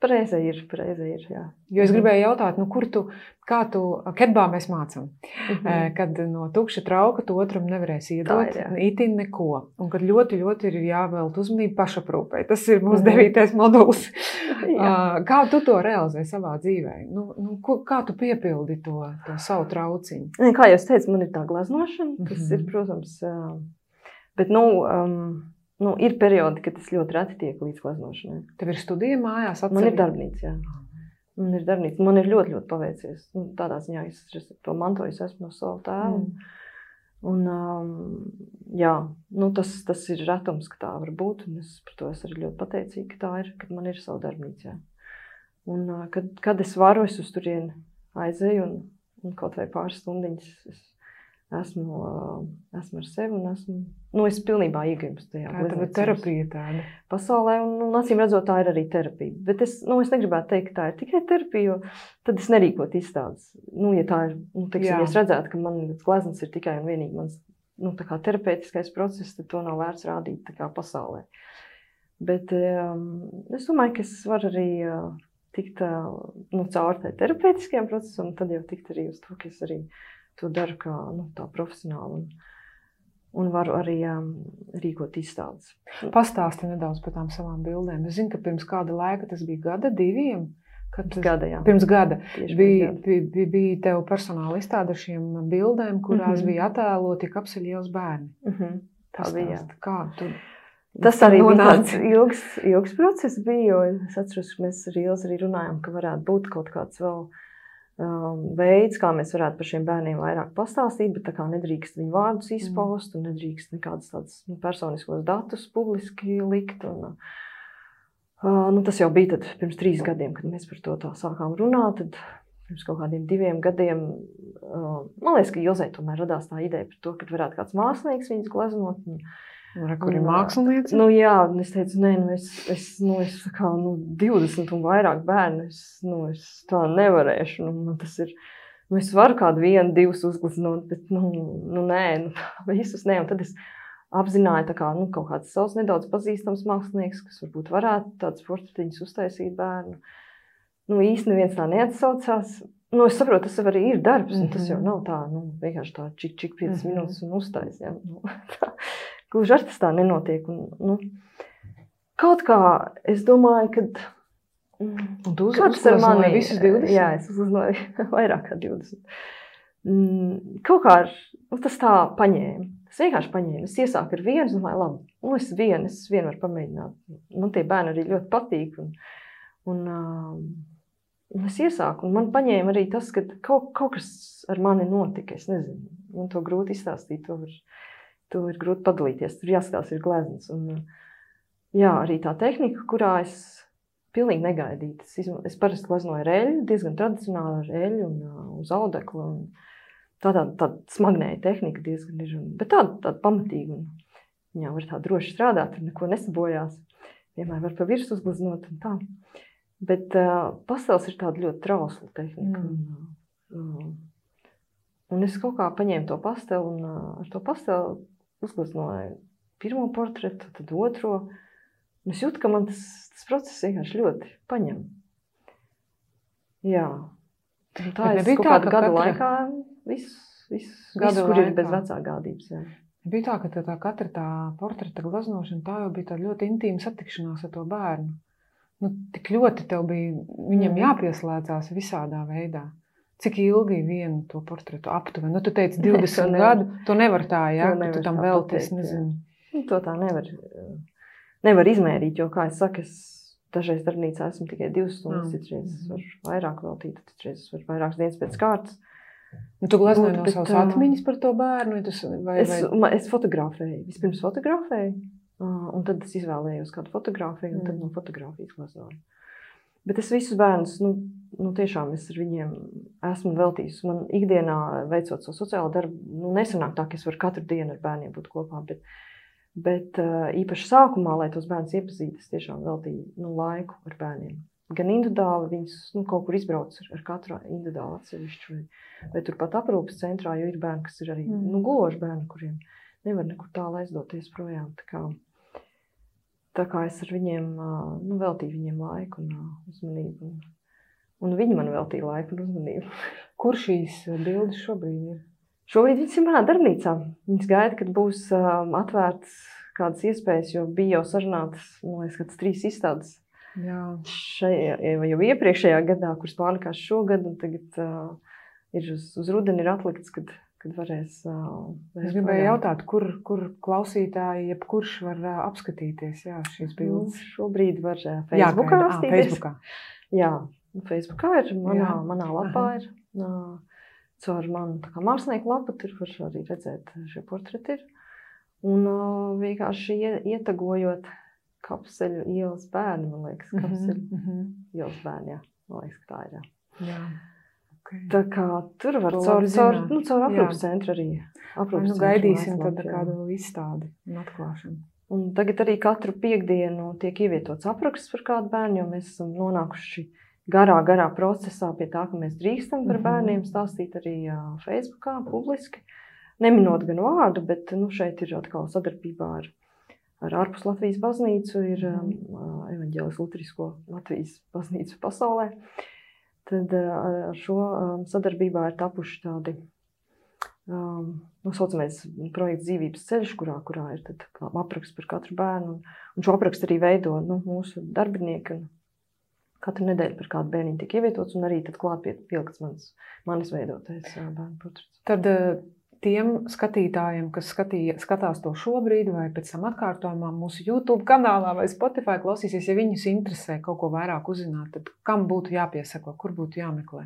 Pareizi ir, pareizi ir, jā. Jo es gribēju jautāt, nu, kur tu, kā tu, ketbā mēs mācam, Mhm. kad no tukša trauka tu otram nevarēs iedot, Tā ir, jā. itin neko. Un kad ļoti, ļoti ir jāvēlt uzmanību pašaprūpei. Tas ir mūsu Mhm. devītais moduls. Jā. Kā tu to realizē savā dzīvē? Nu, nu, ko- kā tu piepildi to, to savu trauciņu? Nē, Kā jau es teicu, man ir tā gleznošana, kas Mhm. ir, protams, ā, bet, nu, um, nu, ir periodi, kad es ļoti reti tieku līdz gleznošanai. Tev ir studija mājās Man ir atsevišķi? darbnīca, jā. Man ir darbnīca. Man ir ļoti, ļoti paveicies. Nu, tādā ziņā es es to mantoju esmu no savu tēvu. Mm. Un, um, jā, nu, tas, tas ir retums, ka tā var būt. Un es par to esmu arī ļoti pateicīga, ka tā ir, kad man ir savu darbnīcu. Jā. Un, uh, kad, kad es varu, es uz turieni aizēju un, un kaut vai pāris stundiņas es esmu, uh, esmu ar sevi un esmu, nu, es pilnībā iegrimstu tajā Tā ir tava glezniecības terapija tāda. pasaulē, un, un acīm redzot, tā ir arī terapija. Bet es, nu, es negribētu teikt, ka tā ir tikai terapija, jo tad es nerīkot izstādes. Nu, ja tā ir, nu, teiksim, Jā. ja es redzētu, ka man gleznas ir tikai un vienīgi mans, nu, tā kā terapeitiskais process, tad to nav vērts rādīt tā kā pasaulē. Bet um, es domāju, ka es varu arī uh, tikt uh, nu, caur tai terapeitiskajam procesam, un tad jau tikt arī uz to, ka es arī to daru kā, nu, tā profesionāli. Un, un varu arī um, rīkot izstādes. Pastāsti nedaudz par tām savām bildēm. Es zinu, ka pirms kāda laika, tas bija gada, diviem, kad tas, Gada, jā. pirms gada, Tieši bija, pirms gada. bija, bija, bija tev personāla izstāde ar šiem bildēm, kurās Mhm. bija attēloti kapseļielas bērni. Mhm. Tā bija, jā. Pastāsti, kā tu Tas arī bija nonāci? tāds ilgs, ilgs process, bija, jo es atceros, ka mēs ar Ilzi arī runājām, ka varētu būt kaut kāds vēl um, veids, kā mēs varētu par šiem bērniem vairāk pastāstīt, bet tā kā nedrīkst viņu vārdus izpaust un nedrīkst nekādus tādus nu, personiskos datus publiski likt. Un, uh, nu, tas jau bija tad pirms trīs gadiem, kad mēs par to tā sākām runāt. Tad pirms kaut kādiem diviem gadiem, uh, man liekas, ka Ilzei tomēr radās tā ideja par to, ka varētu kāds mākslinieks viņus gleznot. Un, Re, kur ir Un, mākslinieci? Nu, jā, un es teicu, nē, nu, es, es, nu, es kā, nu, divdesmit un vairāk bērnu, es, nu, es tā nevarēšu. Nu, man tas ir, nu, es varu kādu vienu, divus uzgleznot, bet, nu, nu nē, nu, visus nē. Un tad es apzināju, tā kā, nu, kaut kāds savs nedaudz pazīstams mākslinieks, kas varbūt varētu tāds portretiņus uztaisīt bērnu. Nu, īsti neviens tā neatsaucās. Nu, es saprotu, tas arī ir darbs, un tas jau nav tā, nu, vienkārši tā čik, čik piecas Mhm. minūtes un uztais, jā. Nu, tā. Gluži ar tas tā nenotiek. Un, nu, kaut kā es domāju, ka mm, Un tu uz, kāds ar uzgleznoji mani visus divdesmit? Jā, es uzgleznoju vairāk kā divdesmit. Mm, kaut kā ar, nu, tas tā paņēma. Es vienkārši paņēmu. Es iesāku ar vienu, es domāju, labi, nu, es vienu, es vienu varu pamēģināt. Man tie bērni arī ļoti patīk. Un, un, um, un es iesāku, un man paņēma arī tas, ka kaut, kaut kas ar mani notika. Es nezinu, man to grūti izstāstīt, to var. To ir grūti padalīties. Tur jāskatās, ir gleznas. Un, jā, arī tā tehnika, kurā es pilnīgi negaidīju. Es, izma... es parasti gleznoju ar eļļu, diezgan tradicionāli ar eļļu un uh, uz audekla. Un tā tāda tā smagnēja tehnika diezgan ir. Un, bet tāda, tāda pamatīga. Un, jā, var tā droši strādāt, tur neko nesabojās. Vienmēr var pa virs uzgleznot un tā. Bet uh, pastels ir tāda ļoti trausla tehnika. Mm. Un, uh, un es kaut kā paņēmu to pastelu un uh, ar to pastelu uzgleznoju pirmo portretu, tad otro. Un es jūtu, ka man tas, tas process vienkārši ļoti paņem. Jā. Un tā Bet es nebija kaut tā, kādu ka gadu katra- laikā viss, viss, Gadu viss kur ir laikā. bez vecā gādības. Jā. Bija tā, ka tā, tā katra tā portreta gleznošana, tā jau bija tāda ļoti intīma satikšanās ar to bērnu. Nu, tik ļoti tev bija viņam Mhm. jāpieslēdzās visādā veidā. Cik ilgi vienu to portretu aptuveni? Nu, tu teici to divdesmit nevar. gadu, to nevar tā, jā, To ka nevar tu tam tā velti, pateikt, es jā. nezinu. Nu, to tā nevar, nevar izmērīt, jo, kā es saku, es dažreiz darbnīcā esmu tikai divas stundas, Mm. citreiz es varu vairāk veltīt, citreiz es varu vairākas dienas pēc kārtas. Nu, tu gleznoji Būt, no bet, savas ā, atmiņas par to bērnu, vai tas, vai, Es, vai... ma- es fotografēju. Vispirms fotografēju, ā, un tad es izvēlējos kādu fotografiju, un tad Mm. no fotografijas gleznoju. Bet es visus bērnus, nu, nu tiešām es ar viņiem esmu veltījis. Man ikdienā, veicot savu sociālo darbu, nu, nesanāk tā, ka es varu katru dienu ar bērniem būt kopā, bet, bet ā, īpaši sākumā, lai tos bērnus iepazītu, es tiešām veltīju nu, laiku ar bērniem. Gan individuāli, viņus nu, kaut kur izbrauc ar, ar katru individuāli atsevišķu, vai, vai turpat aprūpes centrā, jo ir bērni, kas ir arī Mm. nu, guloši bērni, kuriem nevar nekur tālu aizdoties projām. Tā kā, tā kā es ar viņiem, nu, veltīju viņiem laiku un uzmanību. Un, un viņi man veltīja laiku un uzmanību. Kur šīs bildes šobrīd ir? Šobrīd viņas ir manā darbnīcā. Viņas gaida, kad būs um, atvērts kādas iespējas, jo bija jau sarunātas, man liekas, kāds trīs izstādes. Jā. Šajā, jau iepriekšējā gadā, kuras pārlikās šogad, un tagad uh, ir uz, uz rudeni ir atlikts, kad, kad varēs... Uh, es gribēju jautāt, kur, kur klausītāji, jebkurš var uh, apskatīties, jā, šīs bildes? Nu, šobrīd var uh, Facebookā jā, apstīties. Facebookā. Jā, Facebookā ir, manā, jā. manā lapā Aha. ir. Uh, caur manu tā kā mākslinieku lapu, tur var arī redzēt šie portreti ir. Un uh, vienkārši ietagojot Kapseļu ielas bērni, man liekas, Kapseļu mm -hmm. ielas bērni, jā, man liekas, ka tā ir, jā. Jā. Okay. Tā kā tur var To caur, labi caur, zināt. nu, caur aprūpas Jā. centru arī. Vai Aprūpas nu centru gaidīsim mājaslapā, tad jā. kādu izstādi un atklāšanu. Un tagad arī katru piekdienu tiek ievietots apraksts par kādu bērnu, jo mēs esam nonākuši garā, garā procesā pie tā, ka mēs drīkstam par bērniem stāstīt arī uh, Facebookā publiski. Neminot gan vārdu, bet nu, šeit ir atkal sadarbībā ar, ar ārpus Latvijas baznīcu, ir um, evaņģēlis luterisko Latvijas baznīcu pasaulē. Tad uh, ar šo um, sadarbībā ir tapuši tādi um, nosaucamais projekts dzīvības ceļš, kurā, kurā ir tad apraksts par katru bērnu. Un, un šo aprakstu arī veido nu, mūsu darbinieki. Un, katru nedēļu par kādu bērniņu tiek ievietots, un arī tad klāt pie, pielikts manis, manis veidotais bērnu portrets. Tad tiem skatītājiem, kas skatīja, skatās to šobrīd vai pēc tam atkārtojumā mūsu YouTube kanālā vai Spotify klausīsies, ja viņus interesē kaut ko vairāk uzzināt, tad kam būtu jāpiesako, kur būtu jāmeklē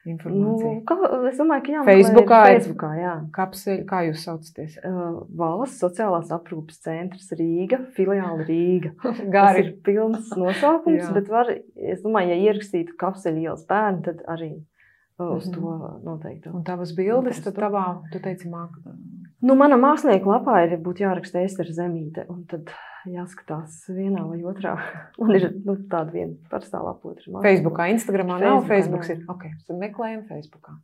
informācija? Nu, kā, es domāju, ka jāmeklē Facebookā, Facebookā, jā. Kapseļi, kā jūs saucaties? Uh, Valsts sociālās aprūpes centrs Rīga, filiāli Rīga. Gari. Tas ir pilns nosaukums, Jā. bet var, es domāju, ja ierakstītu Kapseļu ielas bērnu, tad arī uh, uz Mhm. to noteikti. Un tavas bildes, tad Atrastu. tavā, tu teici, māk. Nu, mana mākslinieka lapā ir būtu jāraksta Ester Zemīte, un tad jāskatās vienā vai otrā. Man ir nu, tāda viena parastā lapa, otra mākslinieka. Facebookā, Instagramā nav, Facebookā Facebooks nav. ir. Ok, tad meklējam Facebookā.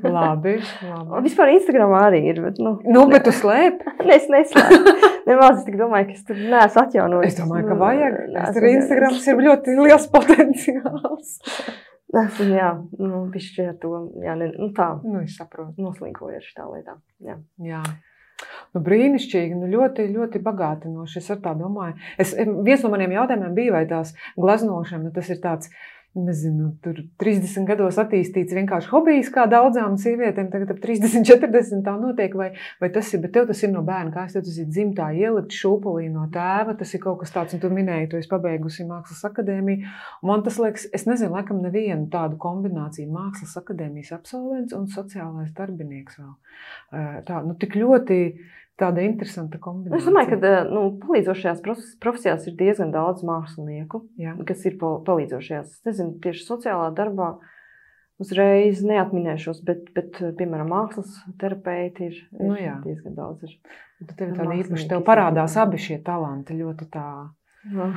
Labi, labi. Un vispār Instagramā arī ir, bet, nu... Nu, bet tu slēp? Ne, es neslēpu. Nemaz es tik domāju, ka es tur neesmu atjaunojis. Es domāju, ka vajag. Nu, Es tur Instagrams ir ļoti liels potenciāls. Esmu, jā, nu, bišķi ar to, jā, ne, nu tā, Nu, es saprotu. noslīkoju ar šitā lietā, jā. Jā. Nu, brīnišķīgi, nu, ļoti, ļoti bagātinoši. Es ar tā domāju. Es, viens no maniem jautājumiem bija, vai tās gleznošana, nu, tas ir tāds, nezinu, tur trīsdesmit gados attīstīts vienkārši hobijs, kā daudzām sievietēm, tagad ap trīsdesmit, četrdesmit tā notiek, vai, vai tas ir, bet tev tas ir no bērna, kā es tev tas ir dzimtā ielikt šūpulī no tēva, tas ir kaut kas tāds, un tu minēji, tu esi pabeigusi Mākslas akadēmiju, un man tas liekas, es nezinu, laikam nevienu tādu kombināciju Mākslas akadēmijas absolvents un sociālais darbinieks vēl. Tā, nu, tik ļoti tāda interesanta kombinācija. Es domāju, ka nu, palīdzošajās profesijās ir diezgan daudz mākslinieku, Jā. kas ir palīdzošajās. Es nezinu, tieši sociālā darbā uzreiz neatminēšos, bet, bet piemēram, mākslas terapeiti ir, ir Nu jā. diezgan daudz. Ir. Tev ir tāda Mākslinieki īpaši, tev izmanto. parādās abi šie talanti ļoti tā Nu,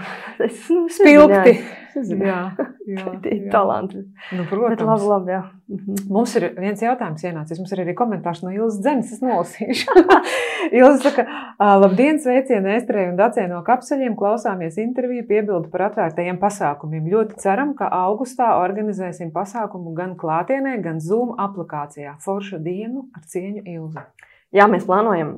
es, nu, es spilgti. nezinu, Jā, jā, Tie jā. talanti. Nu, Bet protams. labi, labi, jā. Mhm. Mums ir viens jautājums ienācis. Mums ir arī komentārs no Ilzas Dzenes. Es nolasīšu. Ilza saka, labdien, sveicieni Esterei un Dacei no Kapseļiem. Klausāmies interviju, piebildu par atvērtajiem pasākumiem. Ļoti ceram, ka augustā organizēsim pasākumu gan klātienē, gan Zoom aplikācijā. Forša dienu ar cieņu Ilza. Jā, mēs plānojam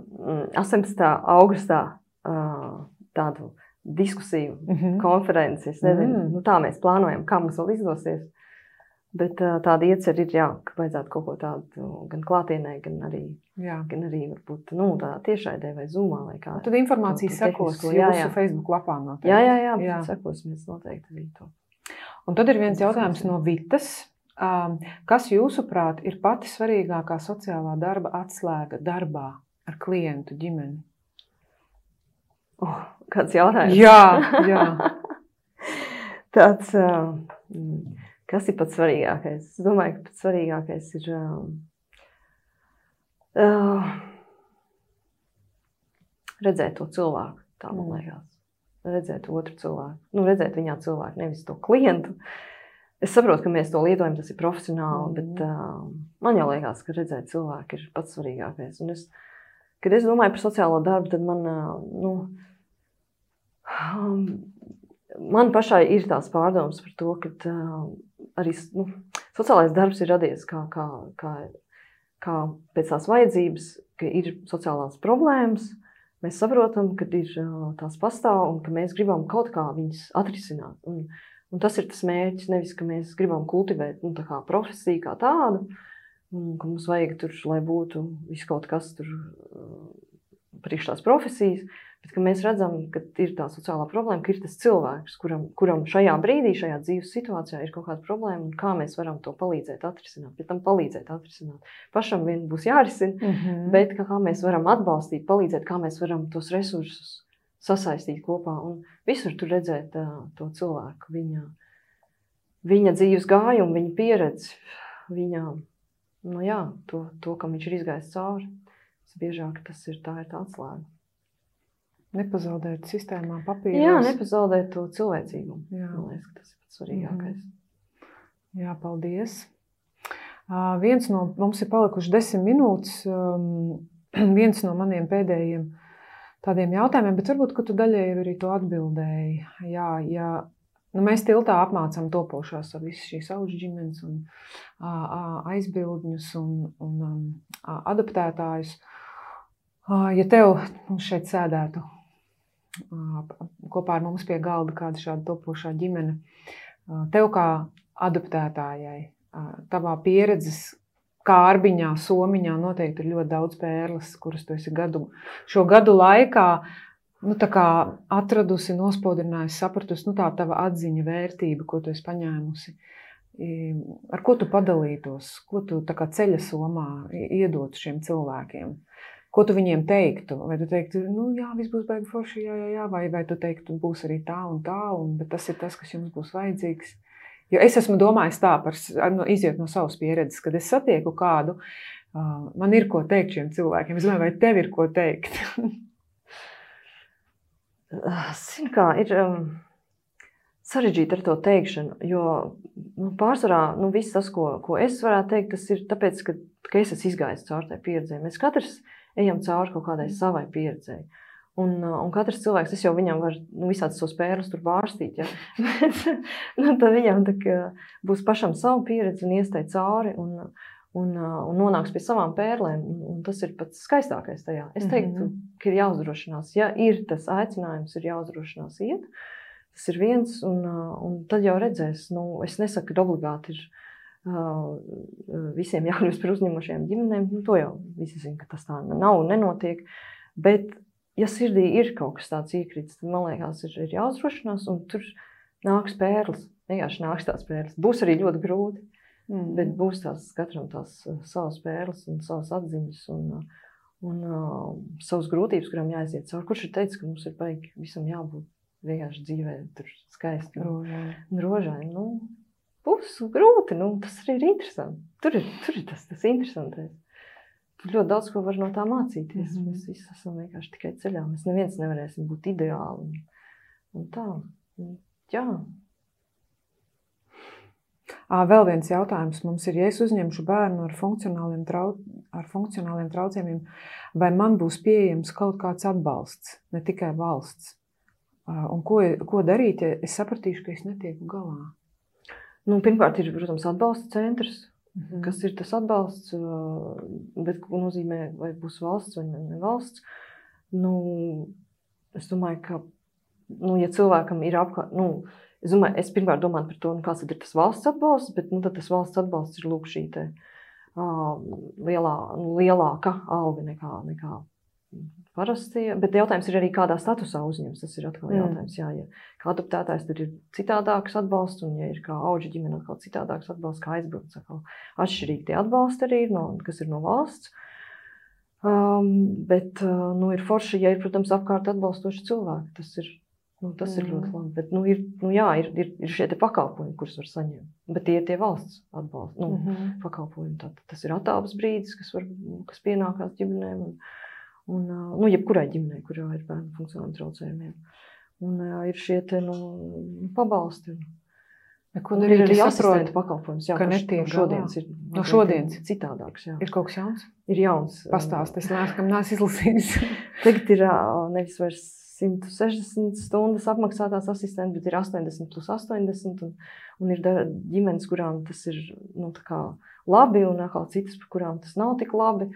astoņpadsmitā augustā uh, tādu diskusiju, Mhm. konferenci. Es nezinu, Mm. nu, tā mēs plānojam, kā mums vēl izdosies. Bet uh, tāda iecer ir, jā, ka vajadzētu kaut ko tādu gan klātienē, gan arī, Jā. gan arī varbūt, nu, tā tiešraidē vai Zoomā vai kā. Tad informācija Kaut ko sekos tehnisko, jā, jūsu jā. Facebook lapā noteikti. Jā, jā, jā, Jā. bet sekosimies noteikti arī to. Un tad ir viens jautājums no Vitas. Um, Kas jūsuprāt ir pati svarīgākā sociālā darba atslēga darbā ar klientu ģimeni? Oh, kāds jautājums? Jā, jā. Tāds, uh, kas ir pats svarīgākais? Es domāju, ka pats svarīgākais ir uh, uh, redzēt to cilvēku, tā man liekas. Redzēt otru cilvēku. Nu, redzēt viņā cilvēku, nevis to klientu. Es saprotu, ka mēs to lietojam, tas ir profesionāli, mm. bet uh, man jau liekas, ka redzēt cilvēku ir pats svarīgākais. Un es, kad es domāju par sociālo darbu, tad man, uh, nu, Man pašai ir tās pārdomas par to, ka uh, arī nu, sociālais darbs ir radies kā, kā, kā, kā pēc tās vajadzības, ka ir sociālās problēmas. Mēs saprotam, ka ir uh, tās pastāv un ka mēs gribam kaut kā viņas atrisināt. Un, un tas ir tas mērķis, nevis, ka mēs gribam kultivēt nu, tā kā profesiju kā tādu, un ka mums vajag tur, lai būtu viss kaut kas tur uh, priekš tās profesijas, bet ka mēs redzam, ka ir tā sociālā problēma, ka ir tas cilvēks, kuram, kuram šajā brīdī, šajā dzīves situācijā ir kaut kāda problēma, un kā mēs varam to palīdzēt atrisināt, pēc tam palīdzēt atrisināt. Pašam vien būs jārisina, mm-hmm. bet kā mēs varam atbalstīt, palīdzēt, kā mēs varam tos resursus sasaistīt kopā, un visur tur redzēt uh, to cilvēku, viņa, viņa dzīves gājumu, viņa pieredzi, viņa, nu jā, to, to kam viņš ir izgājis cauri. Biežāk tas ir tā, ir tā atslēga. Nepazaudēt sistēmā papīros. Jā, nepazaudēt to cilvēcīgumu. Jā. Man liekas, ka tas ir pats svarīgākais. Mm. Jā, paldies. Uh, viens no, mums ir palikuši desmit minūtes, um, viens no maniem pēdējiem tādiem jautājumiem, bet varbūt, ka tu daļēji arī to atbildēji. Jā, jā. Nu, mēs tiltā apmācām topošās ar visu šīs auģu ģimenes un a, a, aizbildņus un, un a, adaptētājus. A, ja tev mums šeit sēdētu a, kopā ar mums pie galda kāda šāda topošā ģimene, a, tev kā adaptētājai, a, tavā pieredzes kārbiņā, somiņā noteikti ir ļoti daudz pērles, kuras tu esi gadu, šo gadu laikā nu, tā kā atradusi, nospodrinājusi, sapratusi, nu, tā tava atziņa vērtība, ko tu esi paņēmusi. Ar ko tu padalītos? Ko tu tā kā ceļa somā iedotu šiem cilvēkiem? Ko tu viņiem teiktu? Vai tu teiktu, nu, jā, viss būs baigi forši, jā, jā, jā, vai, vai tu teiktu, būs arī tā un tā, un, bet tas ir tas, kas jums būs vajadzīgs? Jo es esmu domājis tā, par, no, iziet no savas pieredzes, kad es satieku kādu, uh, man ir ko teikt šiem cilvēkiem. Es domāju, vai tev ir ko teikt? Zinu kā, ir um, sarežģīti ar to teikšanu, jo nu, pārsvarā nu, viss tas, ko, ko es varētu teikt, tas ir tāpēc, ka, ka es esmu izgājis cauri tai pieredzē. Mēs katrs ejam cauri kaut kādai savai pieredzē. Un, un katrs cilvēks, es jau viņam varu nu, visādas tos pērles tur bārstīt, ja? nu, tad viņam tā, būs pašam savu pieredzi un iestēt cauri un, un, un nonāks pie savām pērlēm. Un, un tas ir pats skaistākais tajā. Es teiktu, mm-hmm. ka ir jāuzdrošinās. Ja ir tas aicinājums, ir jāuzdrošinās iet. Tas ir viens, un, un tad jau redzēs. Nu, es nesaku, ka obligāti ir uh, visiem jākļūst par uzņemošajām ģimenēm. Nu, to jau visi zina, ka tas tā nav un nenotiek. Bet, ja sirdī ir kaut kas tāds iekrits, tad, man liekas, ir, ir jāuzdrošinās, un tur nāks pērles. Vienkārši nāks tās pērles. Būs arī ļoti grūti. Mm. Bet būs tās katram tās uh, savas pērles un savas atziņas un, uh, un uh, savas grūtības, kurām jāaiziet cauri. Kurš ir teicis, ka mums ir baigi visam jābūt vienkārši dzīvē, tur skaisti un rožaini. Nu, būs grūti, nu, tas arī ir interesanti. Tur ir, tur ir tas, tas interesantais. Tur ļoti daudz ko var no tā mācīties. Mm-hmm. Mēs visi esam vienkārši tikai ceļā. Mēs neviens nevarēsim būt ideāli un, un tā. Un, jā. Vēl viens jautājums mums ir, ja es uzņemšu bērnu ar funkcionāliem, trau, ar funkcionāliem traucējumiem, vai man būs pieejams kaut kāds atbalsts, ne tikai valsts? Un ko, ko darīt, ja es sapratīšu, ka es netieku galā? Nu, pirmkārt ir, protams, atbalsta centrs, mm-hmm. kas ir tas atbalsts, bet ko nozīmē, vai būs valsts vai ne valsts. Nu, es domāju, ka, nu, ja cilvēkam ir apkārt, nu, Es, domāju, es pirmkārt domāju par to, nu, kāds ir tas valsts atbalsts, bet nu, tad tas valsts atbalsts ir lūk šī te, uh, lielā, lielāka alga nekā, nekā parasti. Bet jautājums ir arī, kādā statusā uzņems. Tas ir atkal jautājums. Jā, ja kā adoptētājs, tad ir citādāks atbalsts, un ja ir kā auģa ģimene, atkal citādāks atbalsts, kā aizbrauc. Atšķirīgi tie atbalsti arī ir, no, kas ir no valsts. Um, bet uh, nu, ir forši, ja ir, protams, apkārt atbalstoši cilvēki. Tas ir Nu, tas mm. ir ļoti labi, bet nu, ir, nu, jā, ir, ir, ir šie te pakalpojumi, kurus var saņemt. Bet tie ir tie valsts atbalsta, nu, mm-hmm. pakalpojumi. Tad, tas ir attālpas brīdis, kas, var, kas pienākās ģimenēm un, un nu, jebkurai ģimenei, kurā ir bērnu funkcionāliem traucējumiem. Un jā, ir šie te nu, pabalsti. Ko darīt, ir arī asistenta pakalpojums, jā, ka netiek no šodienas ir, no šodienas citādāks, jā. Ir kaut kas jauns? Ir jauns. Pastāst, es neesmu izlasījis. Tagad ir nevis vairs simt sešdesmit stundas apmaksātās asistenti, bet ir astoņdesmit plus astoņdesmit, un, un ir ģimenes, kurām tas ir nu, tā kā labi, un atkal citas, par kurām tas nav tik labi.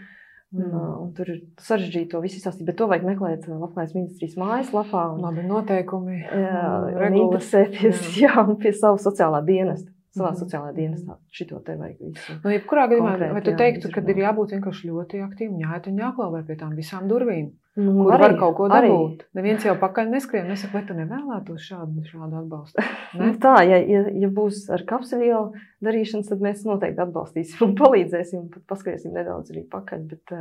Un, mm. un tur ir sarežģīti to visu izstāstīt, bet to vajag meklēt Labklājības ministrijas mājaslapā. Un, labi, noteikumi, jā, un, regulas. Un interesēties, jā. Jā, un pie savu sociālā dienesta. Savā mm. sociālajā dienestā šito te vajag visu. Nu, jebkurā gadījumā, vai tu jā, teiktu, ka ir jābūt vienkārši ļoti aktīvi, jāiet un jāklauvē pie tām visām durvīm, nu, kur arī, var kaut ko dabūt? Arī. Neviens jau pakaļ neskrien, nesaka, vai tu nevēlētos šādu, šādu atbalstu? Ne? Nu, tā, ja, ja, ja būs ar kapseļielu darīšanas, tad mēs noteikti atbalstīsim un palīdzēsim, un pat paskriesim nedaudz arī pakaļ, bet,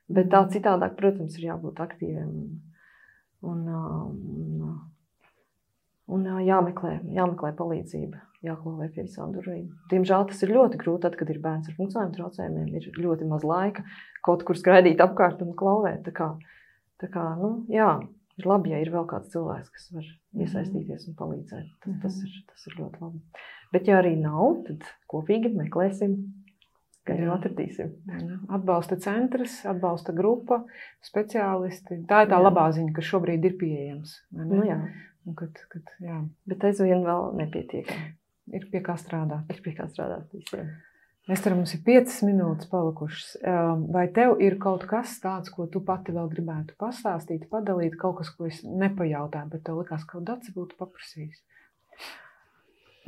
bet tā citādāk, protams, ir jābūt aktīviem un, un, un jāmeklē, jāmeklē palīdzība. Jāklauvē pie visām durvīm. Diemžēl tas ir ļoti grūti, tad, kad ir bērns ar funkcionāliem traucējumiem, ir ļoti maz laika kaut kur skraidīt apkārt un klauvēt. Tā kā, tā kā, nu, jā, ir labi, ja ir vēl kāds cilvēks, kas var iesaistīties un palīdzēt. Tas, tas, ir, tas ir ļoti labi. Bet ja arī nav, tad kopīgi meklēsim, ka jau atradīsim. Atbalsta centrs, atbalsta grupa, speciālisti. Tā ir tā jā. Labā ziņa, kas šobrīd ir pieejams. Nu jā. Un kad, kad, jā. Bet aizvien vēl nepietiekami. Ir pie kā strādāt. Ir pie kā strādāt visiem. Ester, mums ir piecas minūtes palikušas. Vai tev ir kaut kas tāds, ko tu pati vēl gribētu pastāstīt, padalīt, kaut kas, ko es nepajautāju, bet tev likās, ka Dace būtu paprasījis?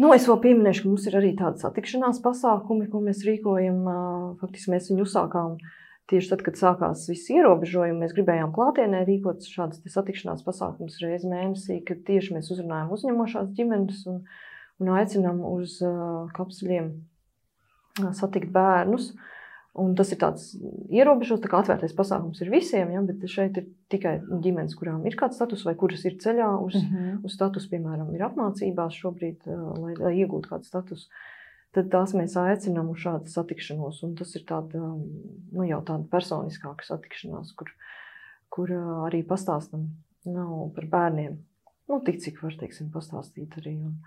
Nu, es vēl pieminēšu, ka mums ir arī tāda satikšanās pasākumi, ko mēs rīkojam. Faktiski mēs viņu uzsākām tieši tad, kad sākās visi ierobežojumi. Mēs gribējām klātienē rīkot šādas satikšanās pasākumus reizi mēnesī, kad tieši mēs uzrunājam uzņemošās ģimenes un un aicinām uz uh, kapsuļiem uh, satikt bērnus. Un tas ir tāds ierobežots, tā kā atvērtais pasākums ir visiem, ja, bet šeit ir tikai ģimenes, kurām ir kāds status vai kuras ir ceļā uz, mm-hmm. uz status, piemēram, ir apmācībās šobrīd, uh, lai, lai iegūtu kādu status. Tad tās mēs aicinām uz šādu satikšanos, un tas ir tāda, nu, jau tāda personiskāka satikšanās, kur, kur uh, arī pastāstam nav par bērniem. Nu, tik cik var, teiksim, pastāstīt arī. Un,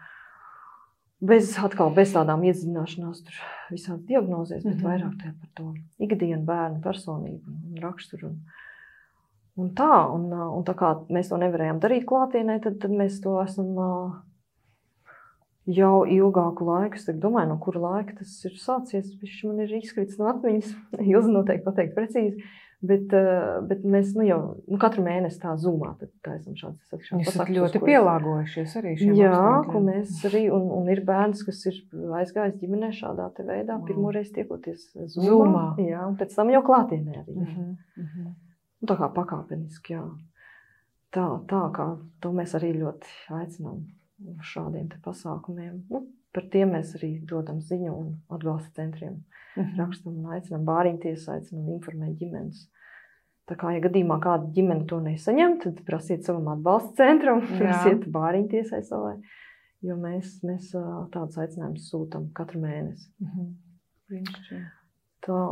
Bez, atkal, bez tādām iedziļināšanās tur visādi diagnozēs, bet mm-hmm. vairāk tā par to ikdienu bērnu personību un raksturu. Un, un tā, un, un tā kā mēs to nevarējām darīt klātienē, tad, tad mēs to esam jau ilgāku laiku. Es domāju, no kura laika tas ir sācies. Man ir izkrits no atmiņas, Ilze noteikti pateikt precīzi. Bet, bet mēs nu, jau nu, katru mēnesi tā zumā, tad tā esam šāds satikšanās pasākums. Jūs esat ļoti pielāgojušies arī šiem jā, apstākļiem. Ko mēs arī, un, un ir bērns, kas ir aizgājis ģimenē šādā te veidā, wow. pirmoreiz tiekoties zumā. zumā. Jā, un pēc tam jau klātienē arī. Uh-huh, uh-huh. Tā kā pakāpeniski, jā. Tā, tā kā to mēs arī ļoti aicinām šādiem te pasākumiem. Nu, par tiem mēs arī dodam ziņu un atbalsta centriem. Mm-hmm. Rakstam un aicinām bāriņties, aicinām informēt ģimenes. Tā kā, ja gadījumā kāda ģimene to nesaņem, tad prasiet savam atbalsta centram, prasiet bāriņtiesai savai, jo mēs, mēs tādus aicinājumus sūtam katru mēnesi. Mm-hmm. Tā,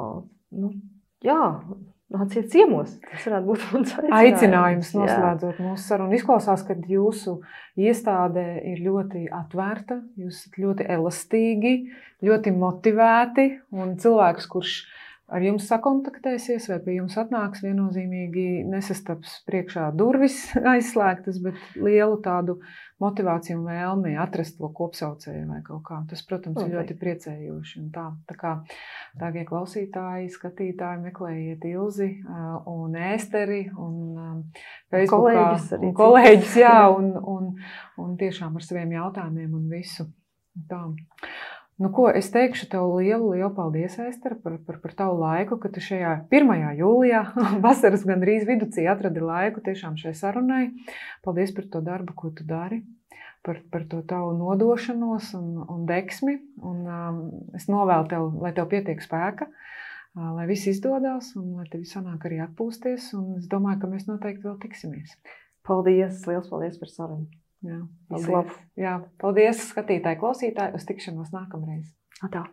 nu, jā, nāciet ciemos. Tas varētu būt mans aicinājums. Aicinājums noslēdzot mūsu sarunu. Izklausās, ka jūsu iestāde ir ļoti atvērta, jūs esat ļoti elastīgi, ļoti motivēti, un cilvēks, kurš ar jums sakontaktēsies vai pie jums atnāks, viennozīmīgi nesastaps priekšā durvis aizslēgtas, bet lielu tādu motivāciju un vēlmi atrast to kopsaucēju vai kaut kā. Tas, protams, okay. ir ļoti priecējoši. Un tā, tā kā tāgie klausītāji, skatītāji, meklējiet Ilzi un Ēsteri un Facebookā. Kolēģis arī. Un kolēģis, jā, un, un, un tiešām ar saviem jautājumiem un visu. Tā. Nu, ko, es teikšu tev lielu, lielu paldies, Ester, par, par, par tavu laiku, ka tu šajā pirmajā jūlijā, vasaras gandrīz viducī atradi laiku tiešām šai sarunai. Paldies par to darbu, ko tu dari, par, par to tavu nodošanos un, un deksmi. Un, um, es novēlu tev, lai tev pietiek spēka, uh, lai viss izdodās un lai tev sanāk arī atpūsties. Un es domāju, ka mēs noteikti vēl tiksimies. Paldies, liels paldies par sarunu. Jā, paldies. Jā, paldies skatītāji, klausītāji, uz tikšanos nākamreiz. Atā.